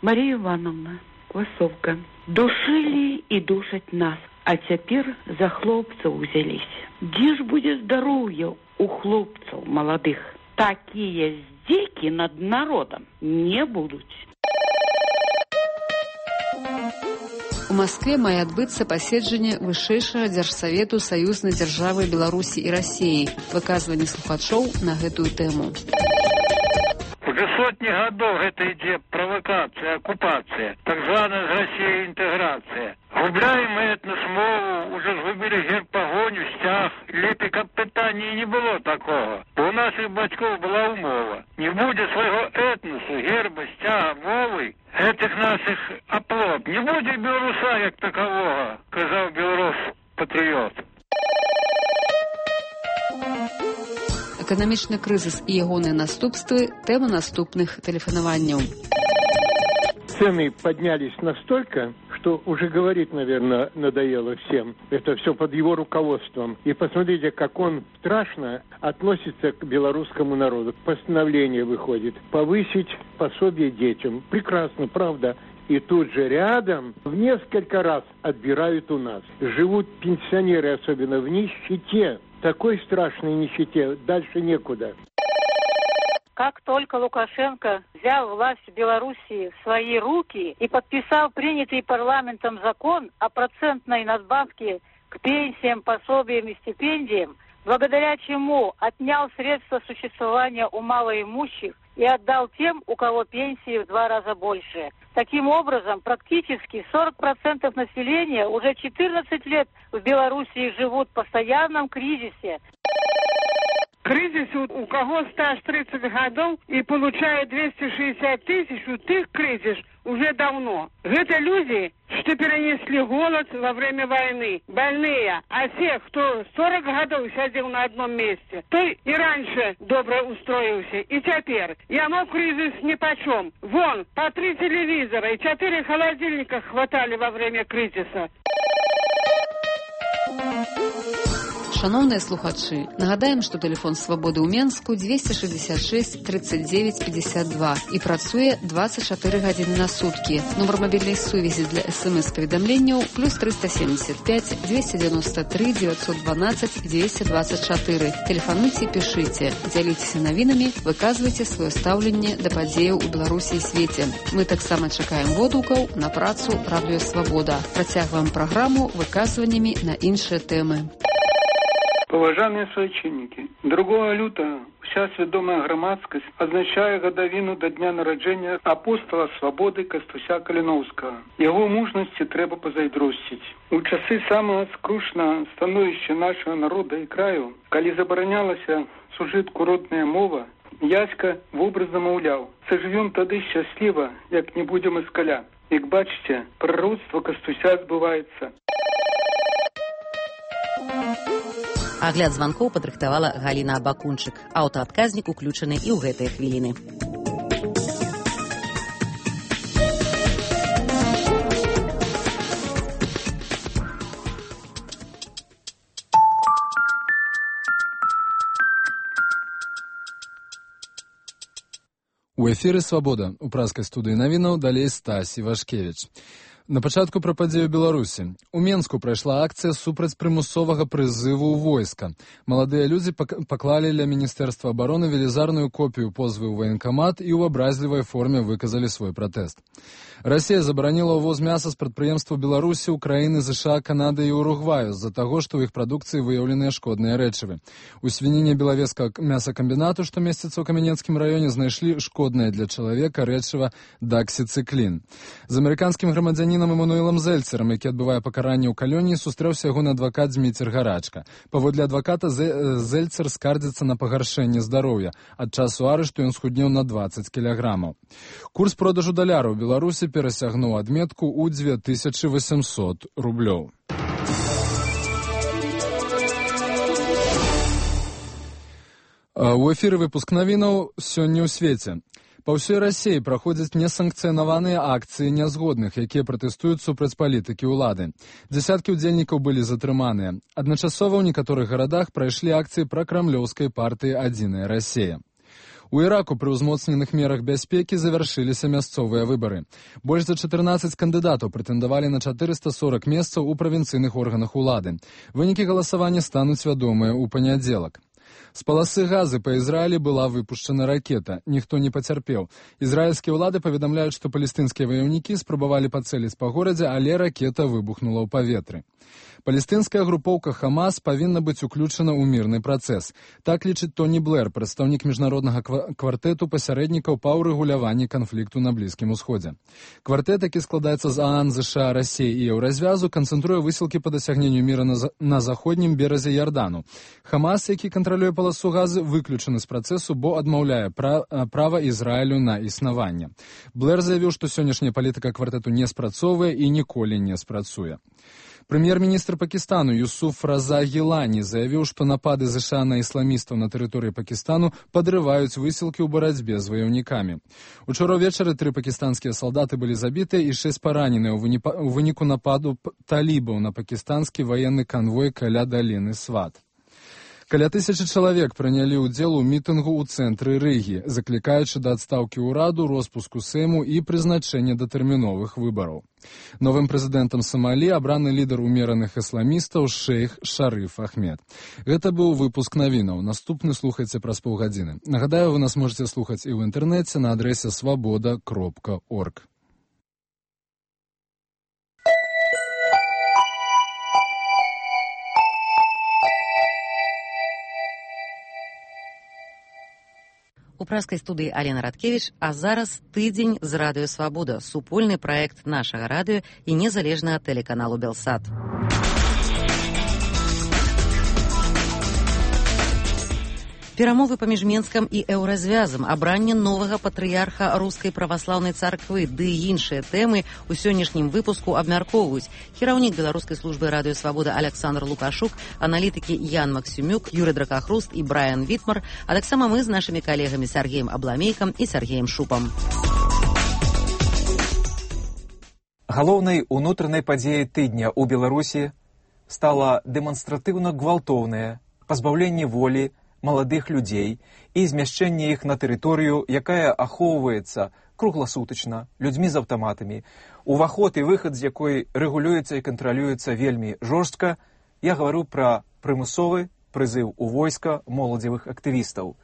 Марія Івановна, Квасовка. Душили і душать нас, а цяпер за хлопцаў узяліся. Дзе ж будзе здароўе у хлопцаў маладых? Такія здзекі над народам не будуць. У Москве мае адбыцца паседжанне вышэйшага дзяржсавету саюзнай дзяржавы Беларусі і Расіі. Выказванне слухачоў на гэтую тэму. Уже сотни годов это идет провокация, оккупация, так званая с Россией интеграция. Губляем мы этнос мову, уже згубили герб погоню, стяг. Лепі, каб питання не було такого. Бо у наших батьків була умова. Не буде свого етносу, герба, стяга, мови, этих наших оплот. Не буде білоруса як такового, казав білорус-патріот. Эканамічны крызіс і ягоныя наступствы – тэма наступных тэлефанаванняў. Цены поднялись настолько, что уже говорить, наверное, надоело всем. Это все под его руководством. И посмотрите, как он страшно относится к белорусскому народу. Постановление выходит повысить пособие детям. Прекрасно, правда. И тут же рядом в несколько раз отбирают у нас. Живут пенсионеры, особенно в нищете. Такой страшной нищете дальше некуда. Как только Лукашенко взял власть в Белоруссии в свои руки и подписал принятый парламентом закон о процентной надбавке к пенсиям, пособиям и стипендиям, благодаря чему отнял средства существования у малоимущих и отдал тем, у кого пенсии в 2 раза больше. Таким образом, практически 40% населения уже 14 лет в Белоруссии живут в постоянном кризисе. Кризис у кого стаж 30 годов и получает 260 тысяч, у тех кризис уже давно. Это люди, что перенесли голод во время войны, больные. А тех, кто 40 годов сидел на одном месте, то и раньше добро устроился. И теперь ему кризис нипочем. Вон, по 3 телевизора и 4 холодильника хватали во время кризиса. Шановныя слухачы, нагадаем, што тэлефон свабоды ў Менску 266 39 52 і працуе 24 гадзіны на суткі. Нумар мабільнай сувязі для СМС-паведамленняў плюс 375 293 912 224. Тэлефануйце, пішыце, дзяліцеся навінамі, выказвайце сваё стаўленне да падзеяў у Беларусі і свеце. Мы таксама чакаем водгукаў на працу Радыё Свабода. Працягваем праграму выказваннямі на іншыя тэмы. Уважаемые суайчыннікі, 2 лютага вся свядомая грамадскасць адзначае гадавіну да дня нараджэння апостала свабоды Кастуся Каліноўскага. Яго мужнасці трэба пазайздросціць. У часы самага скрушнага становішча нашага народа і краю, калі забаранялася сужытку родная мова, Яська вобразна маўляў: «Сажывём тады шчасліва, як не будзем іскаля». Як бачыце, прароцтва Кастуся збываецца. Агляд званкоў падрыхтавала Галіна Абакунчык. Аўтаадказнік уключаны і ў гэтыя хвіліны. У эфіры «Свабода». У праскай студыі навінаў далей Стась Івашкевіч. На пачатку пра падзею Беларусі. У Менску прайшла акцыя супраць прымусовага прызыву ў войска. Маладыя людзі паклалі ля Міністэрства абароны велізарную копію позвы ў ваенкамат і ў абразлівай форме выказалі свой пратэст. Расія забараніла ўвоз мяса з прадпрыемстваў Беларусі, Украіны, ЗША, Канады і Уругваю з-за таго, што ў іх прадукцыі выяўленыя шкодныя рэчывы. У свініне Белавежскага мясакамбінату, што месціцца ў Камянецкім раёне, знайшлі шкоднае для чалавека рэчыва даксіцыклін. З амерыканскім грамадзянінам Эмануэлам Зельцерам, які адбывае пакаранне ў калоніі, сустрэўся ягоны адвакат Зміцер Гарачка. Паводле адваката, Зельцер скардзіцца на пагаршэнне здароўя. Ад часу арышту ён схуднеў на 20 кілаграмаў. Курс продажу даляра ў Беларусі перасягнуў адметку ў 2800 рублёў. У эфіры выпуск навінаў сёння ў свеце. Па ўсёй Расіі праходзяць несанкцыянаваныя акцыі нязгодных, якія пратэстуюць супраць палітыкі ўлады. Дзясяткі ўдзельнікаў былі затрыманыя. Адначасова ў некаторых гарадах прайшлі акцыі пракрамлёўскай партыі «Адзіная Расія». У Іраку пры ўзмоцненых мерах бяспекі завяршыліся мясцовыя выбары. Больш за 14 кандыдатаў прэтэндавалі на 440 месцаў у правінцыйных органах улады. Вынікі галасавання стануць вядомыя ў панядзелак. З паласы Газы па Ізраілі была выпушчана ракета. Ніхто не пацярпеў. Ізраільскія ўлады паведамляюць, што палестынскія ваяўнікі спрабавалі пацэліць па горадзе, але ракета выбухнула ў паветры. Палестынская групоўка «Хамас» павінна быць уключана ў мірны працэс. Так лічыць Тоні Блэр, прадстаўнік міжнароднага квартэту пасярэднікаў па ўрэгуляванні канфлікту на Блізкім Усходзе. Квартэт, які складаецца з ААН, ЗША, Расіі і Еўразвязу, канцэнтруе высілкі па дасягненню міра на заходнім беразе Ярдану. «Хамас», які кантралюе паласу Газы, выключаны з працэсу, бо адмаўляе права Ізраілю на існаванне. Блэр заявіў, што сённяшняя палітыка квартэту не спрацоўвае і ніколі не спрацуе. Прэм'ер-міністр Пакістану Юсуф Раза Гілані заявіў, што напады ЗША на ісламістаў на тэрыторыі Пакістану падрываюць высілкі ў барацьбе з ваяўнікамі. Учора ўвечары 3 пакістанскія салдаты былі забітыя і 6 параненыя ў выніку нападу талібаў на пакістанскі ваенны канвой каля даліны Сват. Каля 1000 чалавек прынялі ўдзел у мітынгу ў цэнтры Рыгі, заклікаючы да адстаўкі ўраду, роспуску Сейму і прызначэння датэрміновых выбараў. Новым прэзідэнтам Сомалі абраны лідар умераных ісламістаў шэйх Шарыф Ахмед. Гэта быў выпуск навінаў. Наступны слухайце праз паўгадзіны. Нагадаю, вы нас можете слухаць і ў інтэрнэце на адрэсе свабода.орг. У праскай студыі Алена Радкевіч, а зараз тыдзень з Радыё Свабода, супольны праект нашага радыё і незалежнага тэлеканалу Белсат. Перамовы паміж Менскам і Еўразвязам, абранне новага патрыярха рускай праваслаўнай царквы ды іншыя тэмы ў сённяшнім выпуску абмяркоўваюць кіраўнік беларускай службы Радыё Свабода Александр Лукашук, аналітыкі Ян Максюмюк, Юрый Дракахруст і Брайан Вітмар, а таксама мы з нашымі калегамі Сергеем Абламейкам і Сергеем Шупам. Галоўнай унутранай падзеяй тыдня ў Беларусі стала дэманстратыўна гвалтоўнае пазбаўленне волі маладых людзей і змяшчэнне іх на тэрыторыю, якая ахоўваецца кругласутачна, людзьмі з аўтаматамі, уваход і выхад з якой рэгулюецца і кантралюецца вельмі жорстка. Я гавару пра прымусовы прызыў у войска моладзевых актывістаў.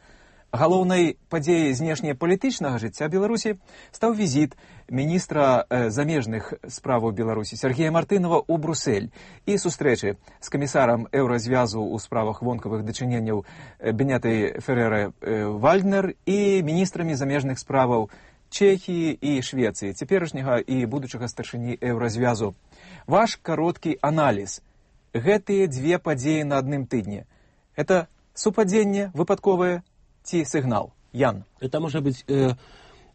Галоўнай падзеяй знешнепалітычнага жыцця Беларусі стаў візіт міністра замежных справаў Беларусі Сергея Мартынова ў Брусэль і сустрэчы з камісарам еўразвязу ў справах вонкавых дачыненняў Бенетай Феррера-Вальднер і міністрамі замежных справаў Чэхіі і Швецыі, цяперашняга і будучага старшыні еўразвязу. Ваш кароткі аналіз. Гэтыя дзве падзеі на адным тыдні. Это супадзенне выпадковае ці сігнал? Ян. Это можа быць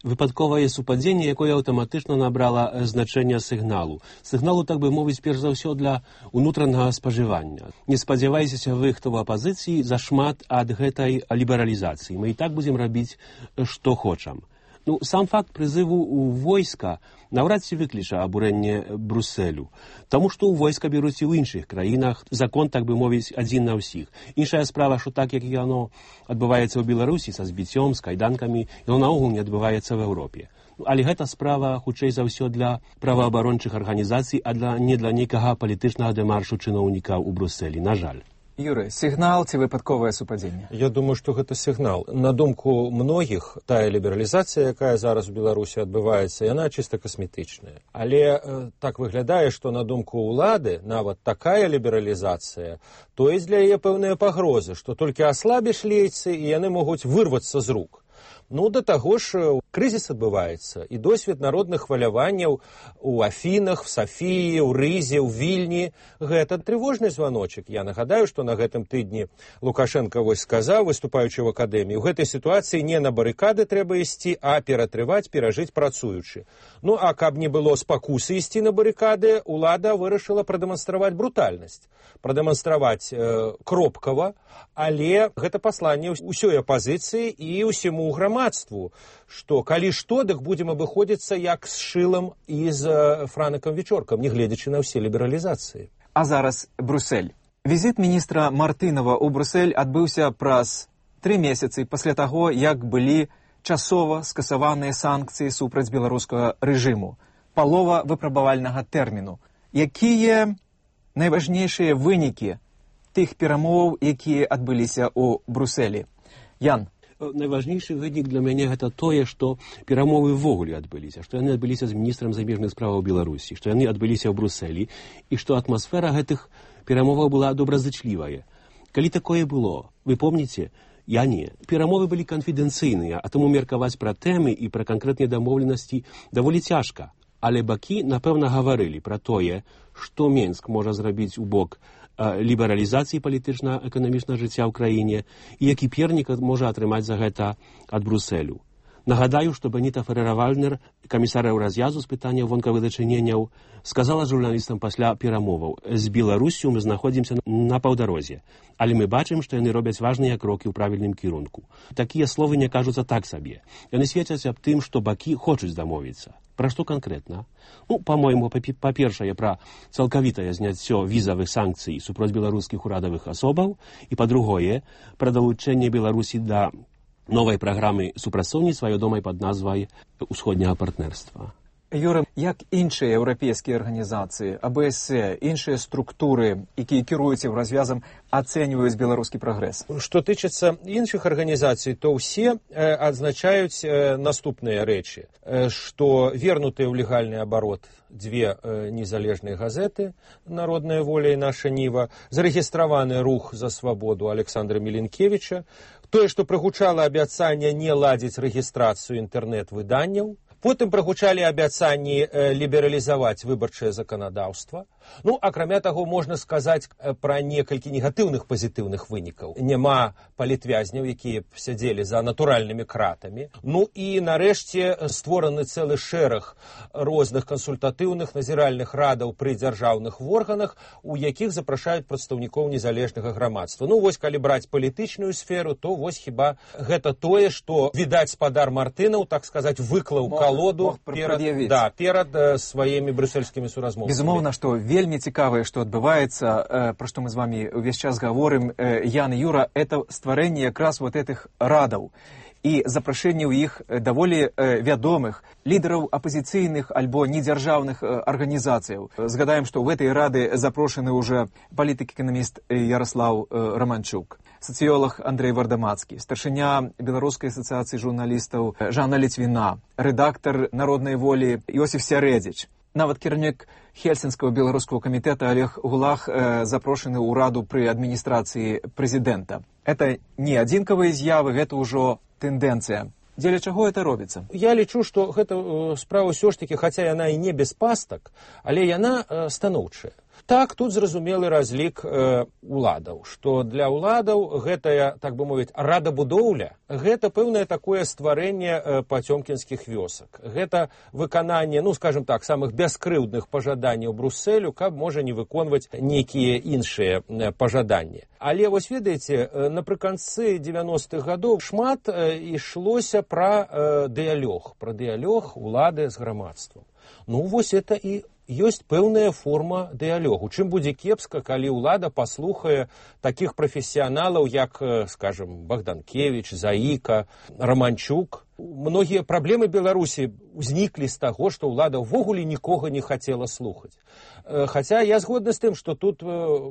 выпадковае супадзенне, якое аўтаматычна набрала значэнне сігналу. Сігналу, так бы мовіць, перш за ўсё для ўнутранага спажывання. Не спадзявайцеся вы, хто ў апазіцыі, зашмат ад гэтай лібералізацыі. Мы і так будзем рабіць, што хочам. Ну, сам факт прызыву ў войска наўрад ці выкліча абурэнне Брусэлю, таму што ў войска бяруць і ў іншых краінах, закон, так бы мовіць, адзін на ўсіх. Іншая справа, што так, як яно адбываецца ў Беларусі са збіццём, з кайданкамі, яно наогул не адбываецца в Еўропе. Але гэта справа, хутчэй за ўсё, для праваабарончых арганізацый, а не для нейкага палітычнага дэмаршу чыноўніка ў Брусэлі, на жаль. Юры, сігнал ці выпадковае супадзенне? Я думаю, што гэта сігнал. На думку многіх, тая лібералізацыя, якая зараз у Беларусі адбываецца, яна чыста касметычная. Але так выглядае, што на думку ўлады нават такая лібералізацыя, то ёсць для яе пэўныя пагрозы, што толькі аслабіш лейцы, і яны могуць вырвацца з рук. Ну, да таго ж, крызіс адбываецца, і досвед народных хваляванняў у Афінах, в Сафіі, у Рызе, у Вільні. Гэта трывожны званочак. Я нагадаю, што на гэтым тыдні Лукашенко вось сказаў, выступаючы в акадэміі, у гэтай сітуацыі не на барыкады трэба ісці, а ператрываць, перажыць працуючы. Ну, а каб не было спакусы ісці на барыкады, улада вырашыла прадэманстраваць брутальнасць, прадэманстраваць кропкава, але гэта пасланне ўсёй апазіцыі і ўсяму грамадству, што калі што, дык будзем абыходзіцца як з шылам і з франакам вечоркам, не гледзячы на ўсе лібералізацыі. А зараз Брусэль. Візіт міністра Мартынова ў Брусэль адбыўся праз 3 месяцы пасля таго, як былі часова скасаваныя санкцыі супраць беларускага рэжыму, палова выпрабавальнага тэрміну. Якія найважнейшыя вынікі тых перамоваў, якія адбыліся ў Брусэлі? Ян. Найважнейшы вынік для мяне гэта тое, што перамовы ўвогуле адбыліся, што яны адбыліся з міністрам замежных справаў Беларусі, што яны адбыліся ў Брусэлі і што атмасфера гэтых перамоваў была добразычлівая. Калі такое было, вы помніце? Я не. Перамовы былі канфідэнцыйныя, а таму меркаваць пра тэмы і пра канкрэтныя дамоўленасці даволі цяжка. Але бакі, напэўна, гаварылі пра тое, што Менск можа зрабіць у бок лібералізацыі палітычна-эканамічнага жыцця ў краіне і які пернік можа атрымаць за гэта ад Брусэлю. Нагадаю, што Бенетай Феррера-Вальднер, камісар еўразвязу з пытанняў вонкавых дачыненняў, сказала журналістам пасля перамоваў: з Беларусю мы знаходзімся на паўдарозе, але мы бачым, што яны робяць важныя крокі ў правільным кірунку. Такія словы не кажуцца так сабе. Яны сведчаць аб тым, што бакі хочуць дамовіцца. Пра што канкрэтна? Ну, па-мойму, па-першае, пра цалкавітае зняццё візавых санкцый супроць беларускіх урадавых асобаў і, па-другое, пра далучэнне Беларусі да новай праграмы супрацоўніцтва, вядомай пад назвай «Усходняга партнерства». Юра, як іншыя еўрапейскія арганізацыі, АБС, іншыя структуры, якія кіруюць еўразвязам, ацэньваюць беларускі прагрэс? Што тычыцца іншых арганізацый, то ўсе адзначаюць наступныя рэчы, што вернутыя ў легальны абарот 2 незалежныя газеты «Народная воля» і «Наша Ніва», зарэгістраваны рух за свабоду Александра Міленкевіча, тое, што прагучала абяцанне не ладзіць рэгістрацыю інтэрнэт-выданняў, потым прагучалі абяцанні лібералізаваць выбарчае заканадаўства. Ну, акрамя таго, можна сказаць пра некалькі негатыўных пазітыўных вынікаў. Няма палітвязняў, якія сядзелі за натуральнымі кратамі. Ну і, нарэшце, створаны цэлы шэраг розных кансультатыўных назіральных радаў пры дзяржаўных органах, у якіх запрашаюць прадстаўнікоў незалежнага грамадства. Ну, вось, калі браць палітычную сферу, то вось хіба гэта тое, што, відаць, спадар Мартынаў, так сказаць, выклаў асалоду перад сваімі брюссельскімі суразмоўцамі. Безумоўна, што вельмі цікавае, што адбываецца, пра што мы з вамі ўвесь час гаворым, Ян і Юра, это стварэнне якраз вот этих радаў і запрашэнне ў іх даволі вядомых лідараў апазіцыйных альбо недзяржаўных арганізацыяў. Згадаем, што ў гэтай рады запрошаны ўжо палітык-эканаміст Ярослаў Романчук, сацыёлог Андрэй Вардамацкі, старшыня Беларускай асацыяцыі журналістаў Жанна Літвіна, рэдактар «Народнай волі» Іосиф Сярэдзіч. Нават кіраўнік Хельсінскага беларускага камітэта Олег Гулах запрошаны ў раду пры адміністрацыі прэзідэнта. Это не адзінкавыя з'явы, гэта ўжо тэндэнцыя. Дзеля чаго это робіцца? Я лічу, што гэта справа ўсё ж такі, хаця яна і не без пастак, але яна станоўчая. Так, тут зразумелы разлік уладаў, што для ўладаў гэтая, так бы мовіць, радабудоўля, гэта пэўнае такое стварэнне пацёмкінскіх вёсак. Гэта выкананне, ну, скажем так, самых бяскрыўдных пажаданняў Брусселю, каб можа не выконваць нейкія іншыя пажаданні. Але вось ведаеце, напрыканцы 90-х гадоў шмат ішлося пра дыялог улады з грамадствам. Ну, вось это і ёсць пэўная форма дыялогу. Чым будзе кепска, калі ўлада паслухае такіх прафесіяналаў, як, скажем, Богданкевич, Заіка, Романчук. Многія праблемы Беларусі ўзніклі з таго, што ўлада ўвогуле нікога не хацела слухаць. Хаця я згодны з тым, што тут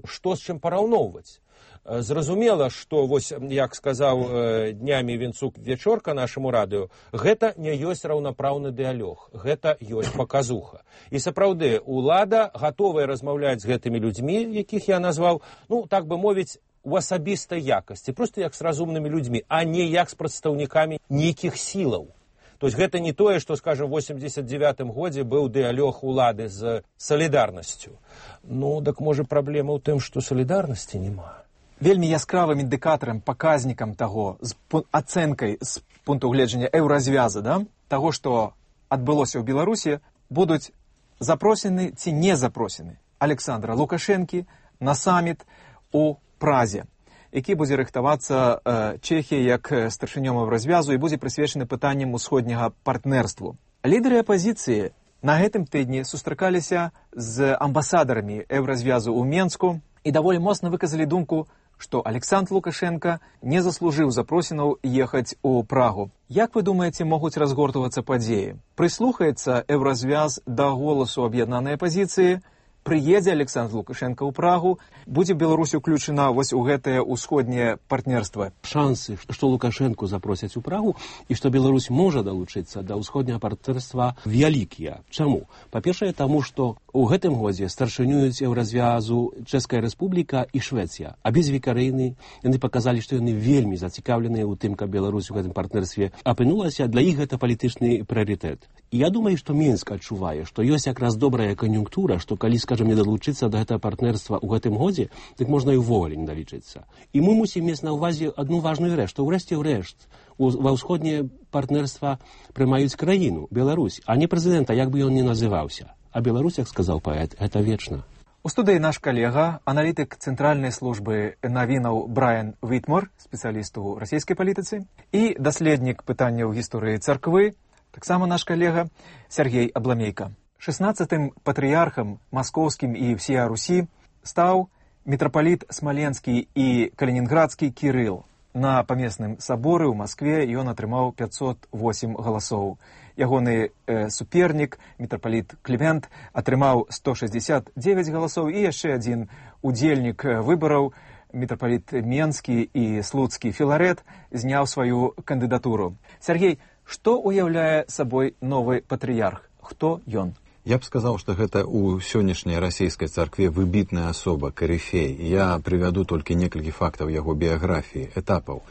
што з чым параўноўваць. Зразумела, што, вось, як сказаў днямі Вінцук Вечорка нашаму радыё, гэта не ёсць раўнапраўны дыялог, гэта ёсць паказуха. І сапраўды, улада гатовая размаўляць з гэтымі людзьмі, якіх я назваў, ну, так бы мовіць, у асабістай якасці, проста як з разумнымі людзьмі, а не як з прадстаўнікамі нейкіх сілаў. То есть гэта не тое, што, скажем, в 89-м годзе быў дыялог улады з салідарнасцю. Ну, так можа праблема ў тым, што салідарнасці няма. Вельмі яскравым індыкатарам, паказнікам таго, з ацэнкай з пункту гледжання еўразвяза, таго, што адбылося ў Беларусі, будуць запросены ці не запросены Александра Лукашэнкі на саміт у Празе, які будзе рыхтавацца Чэхіяй як старшынём еўразвязу і будзе прысвечаны пытанням усходняга партнерству. Лідары апазіцыі на гэтым тыдні сустракаліся з амбасадарамі еўразвязу ў Менску і даволі моцна выказалі думку, што Александр Лукашенко не заслужыў запрошенаў ехаць у Прагу. Як вы думаеце, могуць разгортвацца падзеі? Прыслухаецца еўразвяз да голасу аб'яднанай апазіцыі, прыедзе Александр Лукашенко ў Прагу, будзе Беларусь уключена вось у гэтае ўсходняе партнерства. Шансы, што Лукашенко запросяць у Прагу і што Беларусь можа далучыцца да ўсходняга партнерства вялікія. Чаму? Па-першае, таму што у гэтым годзе старшынююць еўразвязу Чэшская Рэспубліка і Швецыя. Абедзве краіны, яны паказалі, што яны вельмі зацікаўленыя ў тым, каб Беларусь у гэтым партнерстве апынулася, для іх гэта палітычны прыярытэт. І я думаю, што Мінск адчувае, што ёсць якраз добрая кан'юнктура, што калі, скажем, не далучыцца да гэтага партнерства ў гэтым годзе, дык можна і ўвогуле не далічыцца. І мы мусім мець на ўвазе адну важную рэч, што ўрэшце-рэшт ва ўсходняе партнерства прымаюць краіну, Беларусь, а не прэзідэнта, як бы ён ні называўся. А Беларусь, як сказаў паэт, гэта вечна. У студыі наш калега, аналітык Цэнтральнай службы навінаў Брайан Вітмор, спецыяліст у расійскай палітыцы, і даследнік пытанняў гісторыі царквы, таксама наш калега Сергей Абламейка. 16-м патрыярхам маскоўскім і всея Русі стаў мітрапаліт смаленскі і калінінградскі Кірыл. На памесным саборы ў Маскве ён атрымаў 508 галасоў. Ягоны супернік, мітрапаліт Клімент, атрымаў 169 галасоў, і яшчэ адзін удзельнік выбараў, мітрапаліт Менскі і слуцкі Філарэт, зняў сваю кандыдатуру. Сергей, што уяўляе сабой новы патрыярх? Хто ён? Я б сказаў, што гэта ў сённяшняй расійскай царкве выбітная асоба, карыфей. Я прывяду толькі некалькі фактаў яго біяграфіі, этапаў.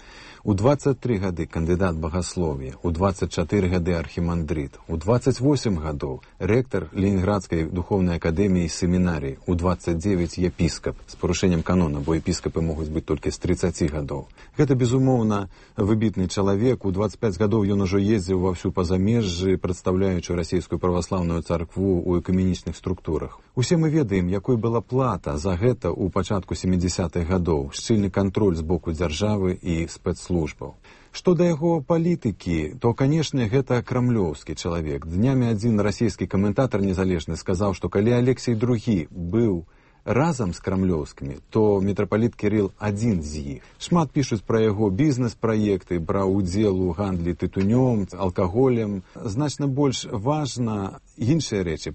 У 23 гады кандыдат багаслов'я, у 24 гады архімандрыт, у 28 гадоў рэктар Ленінградскай духовнай акадэміі семінарыі, у 29 епіскап, з парушэннем канона, бо епіскапы могуць быць толькі з 30 гадоў. Гэта, безумоўна, выбітны чалавек. У 25 гадоў ён ужо ездзіў ва ўсю пазамежжы, прадстаўляючы расійскую праваслаўную царкву ў экуменічных структурах. Усе мы ведаем, якой была плата за гэта ў пачатку 70-х гадоў. Шчыльны кантроль з боку дзяржавы і спецслужб. спецслужбаў. Што да яго палітыкі, то, канешне, гэта крамлёўскі чалавек. Днямі адзін расійскі каментатар незалежны сказаў, што калі Алексей II быў разам з крамлёўскімі, то мітрапаліт Кірыл адзін з іх. Шмат пішуць пра яго бізнес-праекты, браў удзел у гандлі тытунём, алкаголем. Значна больш важна іншыя рэчы,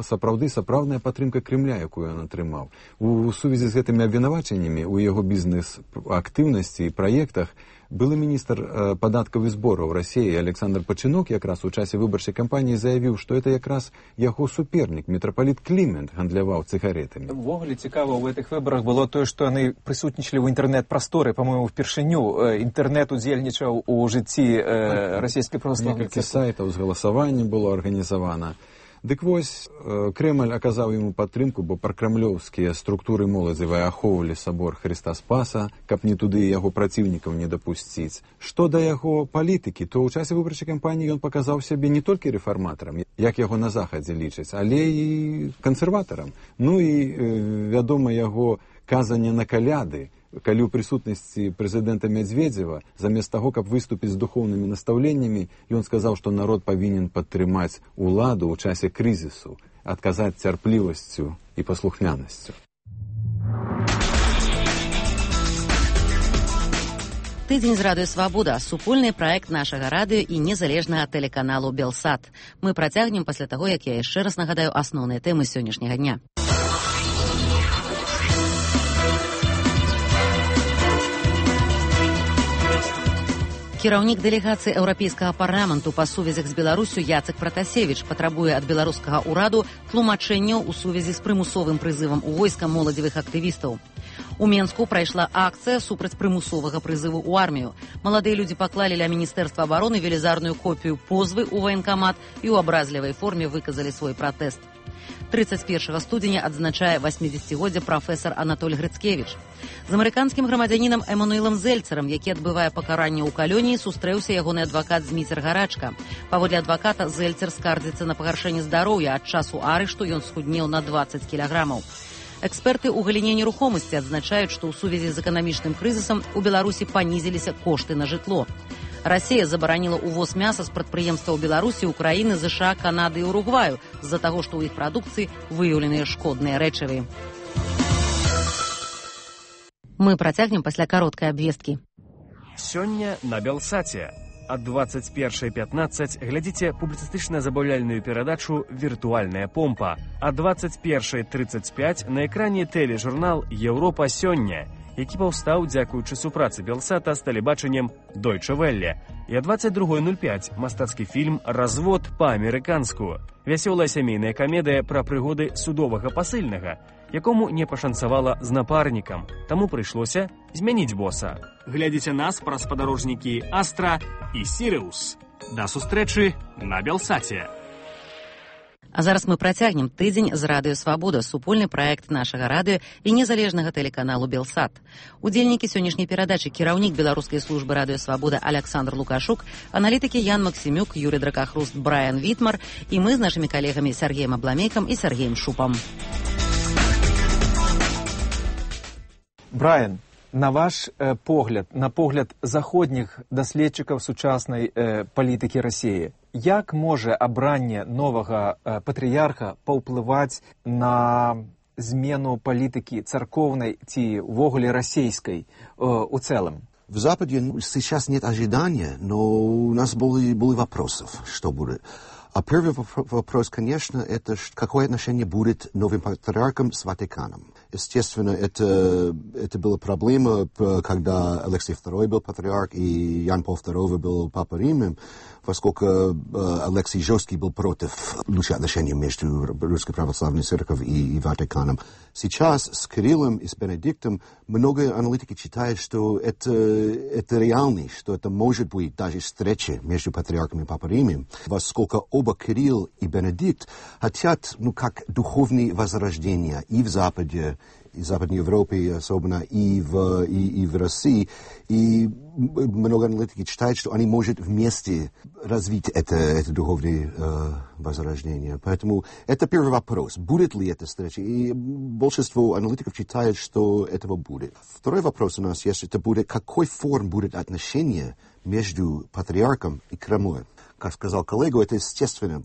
сапраўдная падтрымка Крымля, якую ён атрымаў. У сувязі з гэтымі абвінавачаннямі ў яго бізнес-актыўнасці і праектах былы міністр падаткаў і збораў Расіі Александр Пачынок якраз у часе выбарчай кампаніі заявіў, што это якраз яго супернік, мітрапаліт Клімент, гандляваў цыгаретамі. Увогуле цікава ў гэтых выбарах было тое, што яны прысутнічалі ў інтэрнэт-прасторы, па-моему, впершыню. Інтэрнэт удзельнічаў у жыцці расійскай праваслаўнай царквы. Некалькі сайтаў з галасаваннем было арганізавана. Дык вось, Крэмль аказаў яму падтрымку, бо пракрамлёўскія структуры моладзевай ахоўвалі сабор Хрыста Спаса, каб не туды яго праціўнікаў не дапусціць. Што да яго палітыкі, то ў часе выбарчай кампаніі ён паказаў сябе не толькі рэфарматарам, як яго на захадзе лічаць, але і кансерватарам. Ну і, вядома, яго казанне на каляды, калі ў прысутнасці прэзідэнта Мядзведзева, замест таго, каб выступіць з духоўнымі настаўленнямі, ён сказаў, што народ павінен падтрымаць уладу ў часе крызісу, адказаць цярплівасцю і паслухмянасцю. Тыдзень з радыё «Свабода» – супольны праект нашага радыё і незалежнага тэлеканалу «Белсат». Мы працягнем пасля таго, як я яшчэ раз нагадаю асноўныя тэмы сённяшняга дня. Кіраўнік дэлегацыі Еўрапейскага парламенту па сувязях з Беларусю Яцек Пратасевіч патрабуе ад беларускага ўраду тлумачэнняў у сувязі з прымусовым прызывам у войска моладзевых актывістаў. У Менску прайшла акцыя супраць прымусовага прызыву ў армію. Маладыя людзі паклалі ля Міністэрства абароны велізарную копію позвы ў ваенкамат і ў абразлівай форме выказалі свой пратэст. 31 студзеня адзначае 80-годдзе прафесар Анатоль Грыцкевіч. З амерыканскім грамадзянінам Эмануэлам Зельцерам, які адбывае пакаранне ў калоніі, сустрэўся ягоны адвакат Зміцер Гарачка. Паводле адваката, Зельцер скардзіцца на пагаршэнне здароўя. Ад часу арышту ён схуднеў на 20 кілаграмаў. Эксперты ў галіне нерухомасці адзначаюць, што ў сувязі з эканамічным крызісам у Беларусі панізіліся кошты на жытло. Расія забараніла ўвоз мяса з прадпрыемстваў Беларусі, Украіны, ЗША, Канады і Уругваю з-за таго, што ў іх прадукцыі выяўленыя шкодныя рэчывы. Мы працягнем пасля кароткай абвесткі. Сёння на Белсаце. Ад 21:15 глядзіце публіцыстычна-забаўляльную перадачу «Віртуальная помпа». А 21:35 на экране тэлежурнал «Еўропа сёння», які паўстаў дзякуючы супрацы Белсата з тэлебачаннем Deutsche Welle. І а 22:05 мастацкі фільм «Развод па-амерыканску». Вясёлая сямейная камедыя пра прыгоды судовага пасыльнага, якому не пашанцавала з напарнікам, таму прыйшлося змяніць боса. Глядзіце нас праз спадарожнікі «Астра» і «Сіриус». Да сустрэчы на Белсаце. А зараз мы працягнем тыдзень з радыё «Свабода», супольны праект нашага радыё і незалежнага тэлеканалу «Белсат». Удзельнікі сённяшняй перадачы кіраўнік беларускай службы радыё «Свабода» Александр Лукашук, аналітыкі Ян Максімюк, Юрий Дракахруст, Брайан Вітмар і мы з нашымі калегамі Сергеем Абламейкам і Сергеем Шупам. Брайан, на ваш погляд, на погляд заходніх даследчыкаў сучаснай палітыкі Расіі, як можа абранне новага патрыярха паўплываць на змену палітыкі царковнай ці ўвогуле расійскай у целом? В Западе сейчас нет ожидания, но у нас были вопросы, что будет. А первый вопрос, конечно, это какое отношение будет новым патриархом с Ватиканом. Естественно, это была проблема, когда Алексей II был патриарх и Ян Павел II был Папа Римом, поскольку Алексей жесткий был против лучших отношений между Русской Православной Церковью и Ватиканом. Сейчас с Кириллом и с Бенедиктом много аналитиков считают, что это реально, что это может быть даже встреча между патриархом и Папой Римом, поскольку оба Кирилл и Бенедикт хотят, как духовные возрождения и в Западе, и в Западной Европе особенно, и в России. И много аналитиков считают, что они могут вместе развить это духовное возрождение. Поэтому это первый вопрос. Будет ли эта встреча? И большинство аналитиков считает, что этого будет. Второй вопрос у нас есть, это будет, какой форм будет отношение между патриархом и Кремлем. Как сказал коллега, это, естественно,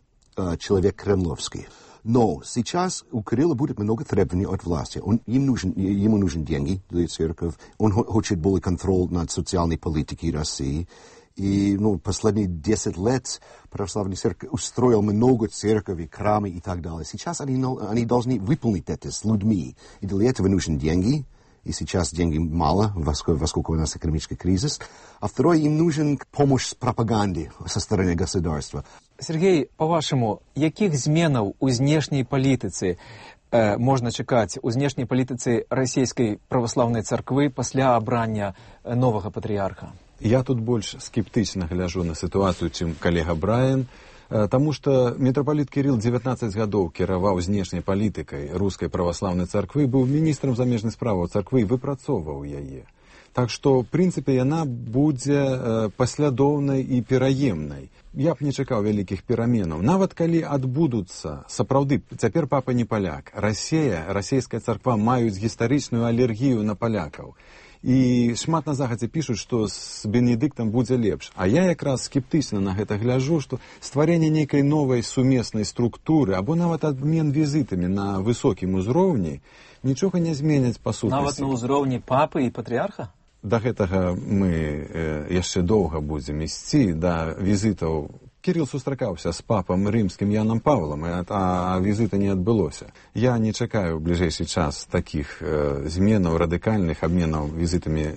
человек кремлевский. Но сейчас у Кирилла будет много требований от власти. Ему нужны деньги для церкви. Он хочет более контроль над социальной политикой России. И последние 10 лет православная церковь устроила много церквей, храмы и так далее. Сейчас они должны выполнить это с людьми. И для этого нужны деньги. И сейчас денег мало, поскольку у нас экономический кризис. А второе, им нужен помощь с пропагандой со стороны государства. Сергей, по-вашему, яких зменаў у знешняй палітыцы можна чакаць у знешняй палітыцы расійскай праваслаўнай царквы пасля абрання новага патрыярха? Я тут больш скептычна гляжу на сітуацыю, чым калега Брайан, таму што мітрапаліт Кірыл 19 гадоў кіраваў знешняй палітыкай рускай праваслаўнай царквы, быў міністрам замежных справаў царквы і выпрацоўваў яе. Так што, в прынцыпе, яна будзе паслядоўнай і пераемнай. Я б не чакаў вялікіх пераменаў. Нават калі адбудуцца, сапраўды, цяпер папа не паляк. Расійская царква маюць гістарычную алергію на палякаў. І шмат на захадзе пішуць, што з Бенедыктам будзе лепш. А я якраз скептычна на гэта гляжу, што стварэнне нейкай новай сумеснай структуры або нават абмен візітамі на высокім узроўні нічога не зменяць па сутнасці. Нават на ўзроўні папы і патрыярха? Да гэтага мы яшчэ доўга будзем ісці, да візітаў. Кірыл сустракаўся з папам рымскім Янам Павлам, а візіта не адбылося. Я не чакаю ў бліжэйшы час такіх зменаў, радыкальных абменаў візітамі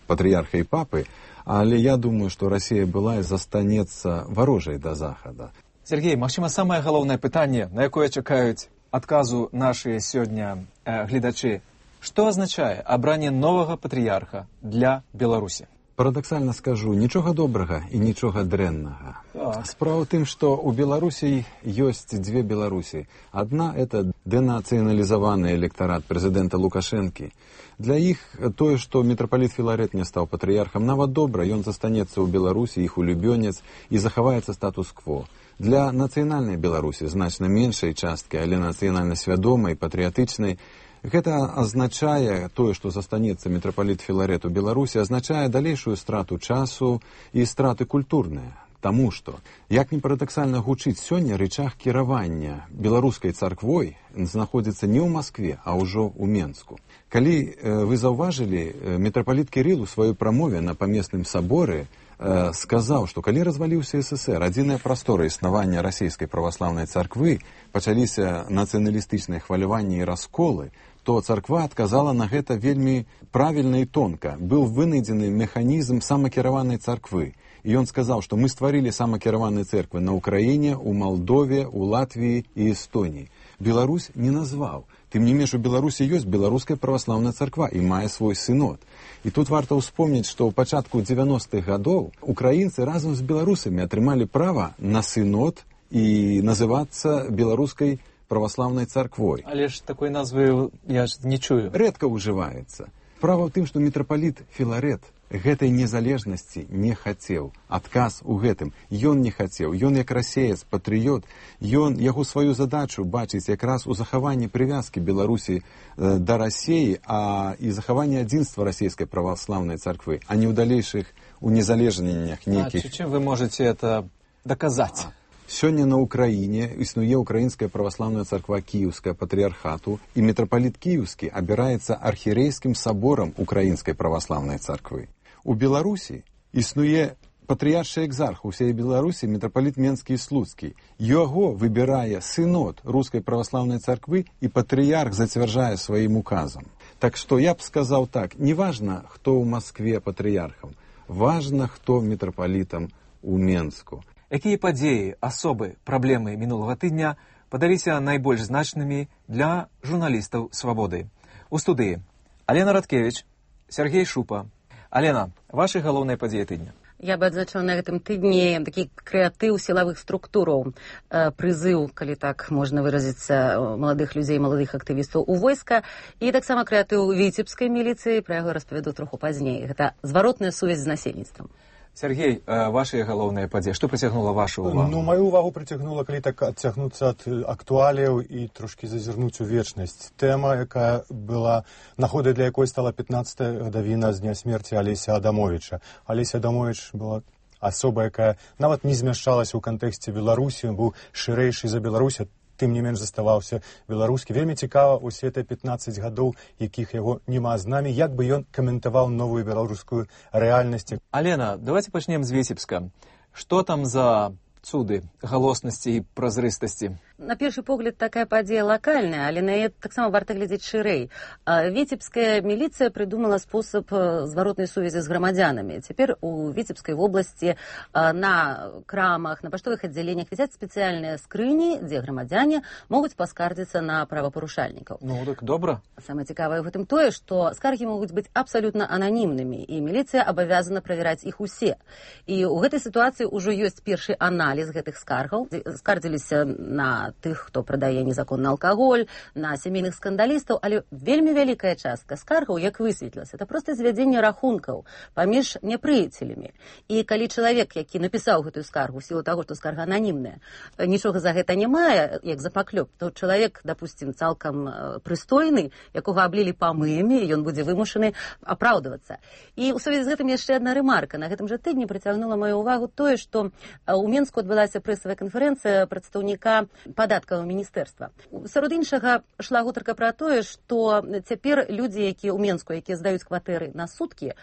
патрыярха і папы, але я думаю, што Расія была і застанецца варожай да Захада. Сергей, магчыма, самае галоўнае пытанне, на якое чакаюць адказу нашыя сёння гледачы. Што азначае абранне новага патрыярха для Беларусі? Парадаксальна скажу, нічога добрага і нічога дрэннага. Справа ў тым, што ў Беларусі ёсць дзве Беларусі. Адна – это дэнацыяналізаваны электарат прэзідэнта Лукашэнкі. Для іх тое, што мітрапаліт Філарет не стаў патрыярхам, нават добра, ён застанецца ў Беларусі, іх улюбёнец, і захаваецца статус-кво. Для нацыянальнай Беларусі, значна меншай часткі, але нацыянальна свядомай, патрыятычнай, гэта азначае, тое, што застанецца мітрапаліт Філарет у Беларусі, азначае далейшую страту часу і страты культурныя. Таму што, як не парадаксальна гучыць, сёння рычаг кіравання беларускай царквой знаходзіцца не ў Маскве, а ўжо ў Менску. Калі вы заўважылі, мітрапаліт Кірыл у сваёй прамове на памесным саборы сказаў, што калі разваліўся СССР, адзіная прастора існавання расійскай праваслаўнай царквы, пачаліся нацыяналістычныя хваляванні і расколы, то царква адказала на гэта вельмі правільна і тонка. Быў вынайдзены механізм самакіраванай царквы. І ён сказаў, што мы стварылі самакіраваныя церквы на Украіне, у Малдове, у Латвіі і Эстоніі. Беларусь не назваў. Тым не менш, у Беларусі ёсць беларуская праваслаўная царква і мае свой сынод. І тут варта ўспомніць, што ў пачатку 90-х гадоў украінцы разам з беларусамі атрымалі права на сынод і называцца беларускай праваслаўнай царквой. Але ж такой назвы я ж не чую. Рэдка ўжываецца. Справа ў тым, што мітрапаліт Філарет гэтай незалежнасці не хацеў. Адказ у гэтым. Ён не хацеў. Ён як расеец, патрыёт. Ён яго сваю задачу бачыць якраз у захаванні прывязкі Беларусі да Расіі, а і захаванні адзінства расійскай праваслаўнай царквы, а не ў далейшых унезалежненнях нейкіх. Чым вы можете это доказаць? Сёння на Украіне існуе Украінская праваслаўная царква Кіеўская патрыярхату, і мітрапаліт Кіеўскі абіраецца архірэйскім саборам Украінскай праваслаўнай царквы. У Беларусі існуе патрыяршы экзарх усей Беларусі мітрапаліт Менскі і Слуцкі. Яго выбірае сынод рускай праваслаўнай царквы, і патрыярх зацвярджае сваім указам. Так што я б сказаў так, не важна, хто ў Маскве патрыярхам, важна, хто мітрапалітам у Менску. Якія падзеі, асобы, праблемы мінулага тыдня падаліся найбольш значнымі для журналістаў «Свабоды»? У студыі Алена Радкевіч, Сергей Шупа. Алена, вашы галоўныя падзеі тыдня? Я бы адзначыла на гэтым тыдні такі крэатыў сілавых структураў, прызыў, калі так можна выразіцца, маладых людзей, маладых актывістаў у войска, і таксама крэатыў віцебскай міліцыі, пра яго распавяду троху пазней. Гэта зваротная сувязь з насельніцтвам. Сергей, ваши галоўныя падзеі, што прыцягнула вашу увагу? Ну, маю увагу прыцягнула, калі так адцягнуцца ад актуаліяў і трошкі зазірнуць у вечнасць. Тэма, якая была, нагодай для якой стала 15-я гадавіна з дня смерці Алеся Адамовіча. Алеся Адамовіч была асоба, якая нават не змяшчалася ў кантэксце Беларусі, быў шырэйшы за Беларусь, тым не менш заставаўся беларускі. Вельмі цікава усе те 15 гадоў, якіх яго няма з намі, як бы ён каментаваў новую беларускую рэальнасць. Алена, давайте пачнем з Віцебска. Што там за цуды галоснасці і празрыстасці? На першы погляд такая падзея лакальная, але на яе таксама варта глядзець шырэй. Віцебская міліцыя прыдумала спосаб зваротнай сувязі з грамадзянамі. Цяпер у Віцебскай вобласці на крамах, на паштовых аддзяленнях вісяць спецыяльныя скрыні, дзе грамадзяне могуць паскардзіцца на правапарушальнікаў. Ну, так добра. Самае цікавае ў гэтым тое, што скаргі могуць быць абсалютна ананімнымі, і міліцыя абавязана правяраць іх усе. І ў гэтай сітуацыі ўжо ёсць першы аналіз гэтых скаргаў. Скардзіліся на тых, хто прадае незаконны алкаголь, на сямейных скандалістаў, але вельмі вялікая частка скаргаў, як высветлілася, это проста звядзенне рахункаў паміж непрыяцелямі. І калі чалавек, які напісаў гэтую скаргу, в сілу таго, што скарга ананімная, нічога за гэта не мае, як за паклёп, то чалавек, допустим, цалкам прыстойны, якога аблілі памыямі, ён будзе вымушаны апраўдвацца. І ў сувязі з гэтым яшчэ адна рэмарка. На гэтым жа тыдні прыцягнула маю ўвагу тое, што ў Менску адбылася прэсавая канферэнцыя прадстаўніка падаткавага міністэрства. Сярод іншага шла гутарка пра тое, што цяпер людзі, якія ў Менску, якія здаюць кватэры на суткі,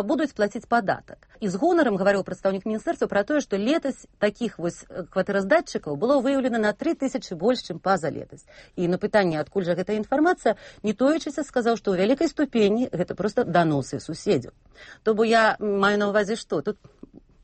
будуць плаціць падатак. І з гонарам гаварыў прадстаўнік міністэрства пра тое, што летась такіх вось кватэраздатчыкаў было выяўлена на 3000 больш, чым пазалетась. І на пытанне, адкуль жа гэтая інфармацыя, не тоячыся сказаў, што ў вялікай ступені гэта проста даносы суседзяў. То бо я маю на ўвазе што? Тут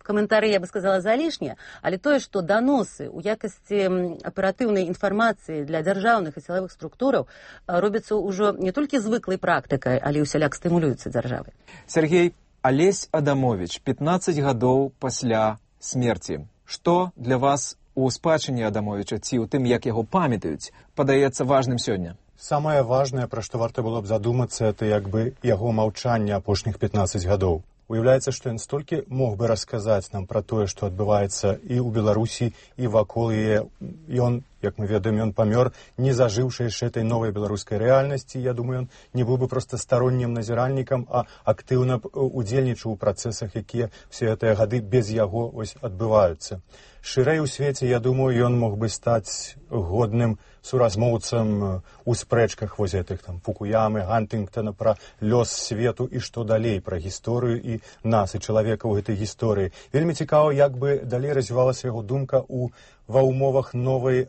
каментары, я бы сказала, залішнія, але тое, што даносы ў якасці аператыўнай інфармацыі для дзяржаўных і сілавых структураў робяцца ўжо не толькі звыклай практыкай, але ўсяляк стымулююцца дзяржавай. Сергей, Алесь Адамовіч, 15 гадоў пасля смерці. Што для вас у спадчыне Адамовіча ці ў тым, як яго памятаюць, падаецца важным сёння? Самае важнае, пра што варта было б задумацца, это як бы яго маўчанне апошніх 15 гадоў. Уяўляецца, што ён столькі мог бы расказаць нам пра тое, што адбываецца і ў Беларусі, і вакол яе. Ён, як мы ведаем, ён памёр, не зажыўшы яшчэ этой новай беларускай рэальнасці. Я думаю, ён не быў бы проста староннім назіральнікам, а актыўна удзельнічаў у працэсах, якія все гэтыя гады без яго ось адбываюцца. Шырэй у свеце, я думаю, ён мог бы стаць годным суразмоўцам у спрэчках вось гэтых там Фукуямы, Гантынгтона пра лёс свету і што далей, пра гісторыю і нас, і чалавека ў гэтай гісторыі. Вельмі цікава, як бы далей развівалася яго думка ва ўмовах новай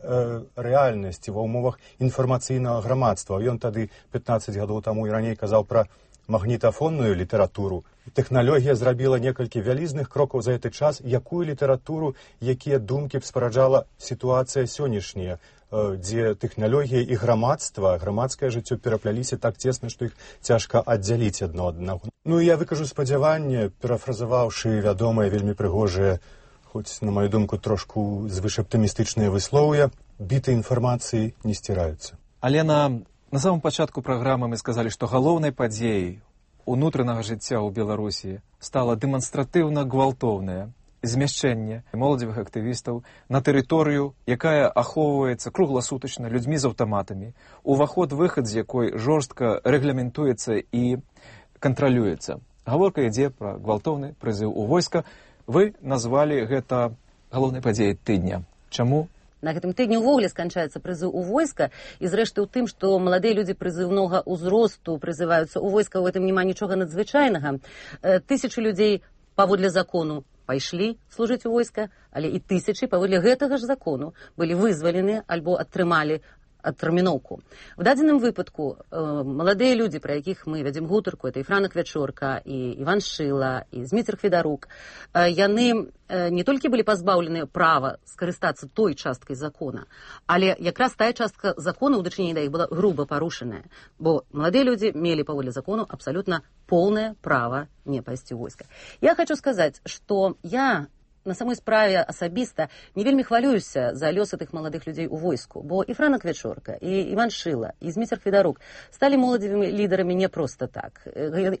рэальнасці, ва ўмовах інфармацыйнага грамадства. Ён тады 15 гадоў таму і раней казаў пра магнітафонную літаратуру. Тэхналогія зрабіла некалькі вялізных крокаў за гэты час. Якую літаратуру, якія думкі б спараджала сітуацыя сённяшняя, дзе тэхналогія і грамадства, грамадскае жыццё перапляліся так цесна, што іх цяжка аддзяліць адно ад аднаго. Ну і я выкажу спадзяванне, перафразаваўшы вядомыя, вельмі прыгожыя, хоць, на маю думку, трошку звышаптымістычныя выслоўя, біты інфармацыі не сціраюцца. Алена, на самом пачатку праграмы мы сказалі, што галоўнай падзеяй унутранага жыцця ў Беларусі стала дэманстратыўна гвалтоўнае змяшчэнне моладзевых актывістаў на тэрыторыю, якая ахоўваецца кругласутачна людзьмі з аўтаматамі, уваход-выхад з якой жорстка рэгламентуецца і кантралюецца. Гаворка ідзе пра гвалтоўны прызыў у войска. Вы назвалі гэта галоўнай падзеяй тыдня. Чаму? На гэтым тыдні ўвогуле сканчаецца прызыў у войска, і зрэшты ў тым, што маладыя людзі прызыўнога ўзросту прызываюцца ў войска, у гэтым няма нічога надзвычайнага. Тысячы людзей паводле закону пайшлі служыць у войска, але і тысячы паводле гэтага ж закону былі вызвалены альбо атрымалі адтэрміноўку. В дадзеным выпадку маладыя людзі, пра якіх мы вядзем гутарку, это і Франа Квячорка, і Іван Шыла, і Зміцер Хведарук, яны не толькі былі пазбаўлены права скарыстацца той часткай закона, але якраз тая частка закона ў дачыненні да іх была груба парушаная, бо маладыя людзі мелі паводле закону абсалютна поўнае права не пайсці ў войска. Я хочу сказаць, што я на самой справе асабіста не вельмі хвалююся за лёсы тых маладых людзей у войску, бо і Франа Квячорка, і Іван Шыла, і Зміцер Хведарук сталі моладзевымі лідарамі не проста так.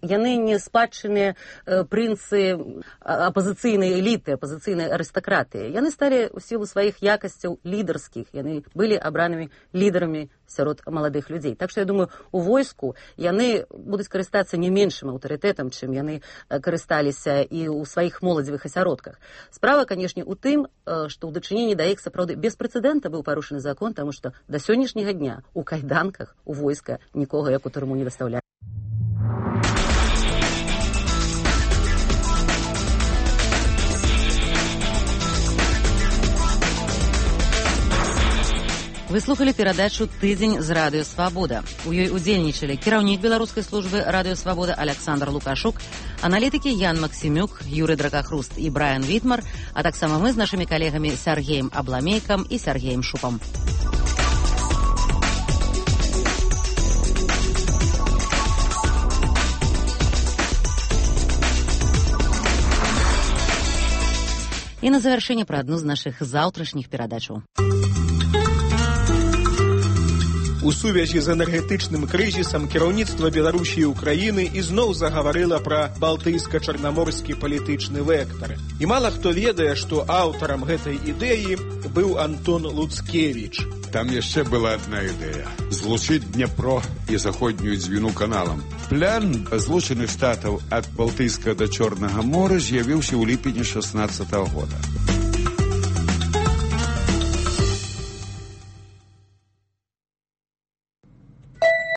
Яны не спадчыныя прынцы апазіцыйнай эліты, апазіцыйнай арыстакратыі. Яны сталі ў сілу сваіх якасцяў лідарскіх, яны былі абранымі лідарамі сярод маладых людзей. Так што я думаю, у войску яны будуць карыстацца не меншым аўтарытэтам, чым яны карысталіся і ў сваіх моладзевых асяродках. Справа, канешне, у тым, што ў дачыненні да іх сапраўды без прэцэдэнта быў парушаны закон, таму што да сённяшняга дня у кайданках у войска нікога як у турму не дастаўляюць. Вы слухали перадачу «Тыдзень» з радыё «Свабода». У ёй удзельнічалі кіраўнік беларускай службы радыё «Свабода» Александр Лукашук, аналітыкі Ян Максімюк, Юрый Дракахруст і Брайан Вітмар, а таксама мы з нашымі калегамі Сергеем Абламейкам і Сергеем Шупам. І на завяршэнне пра адну з нашых заўтрашніх перадачаў. У сувязі з энергетычным крызісам кіраўніцтва Беларусі і Украіны ізноў загаварыла пра балтыйска-чарнаморскі палітычны вектар. І мала хто ведае, што аўтарам гэтай ідэі быў Антон Луцкевіч. Там яшчэ была адна ідэя – злучыць Дняпро і заходнюю дзвіну каналам. План Злучаных Штатаў ад Балтыйска да Чорнага мора з'явіўся ў ліпені 16-го года.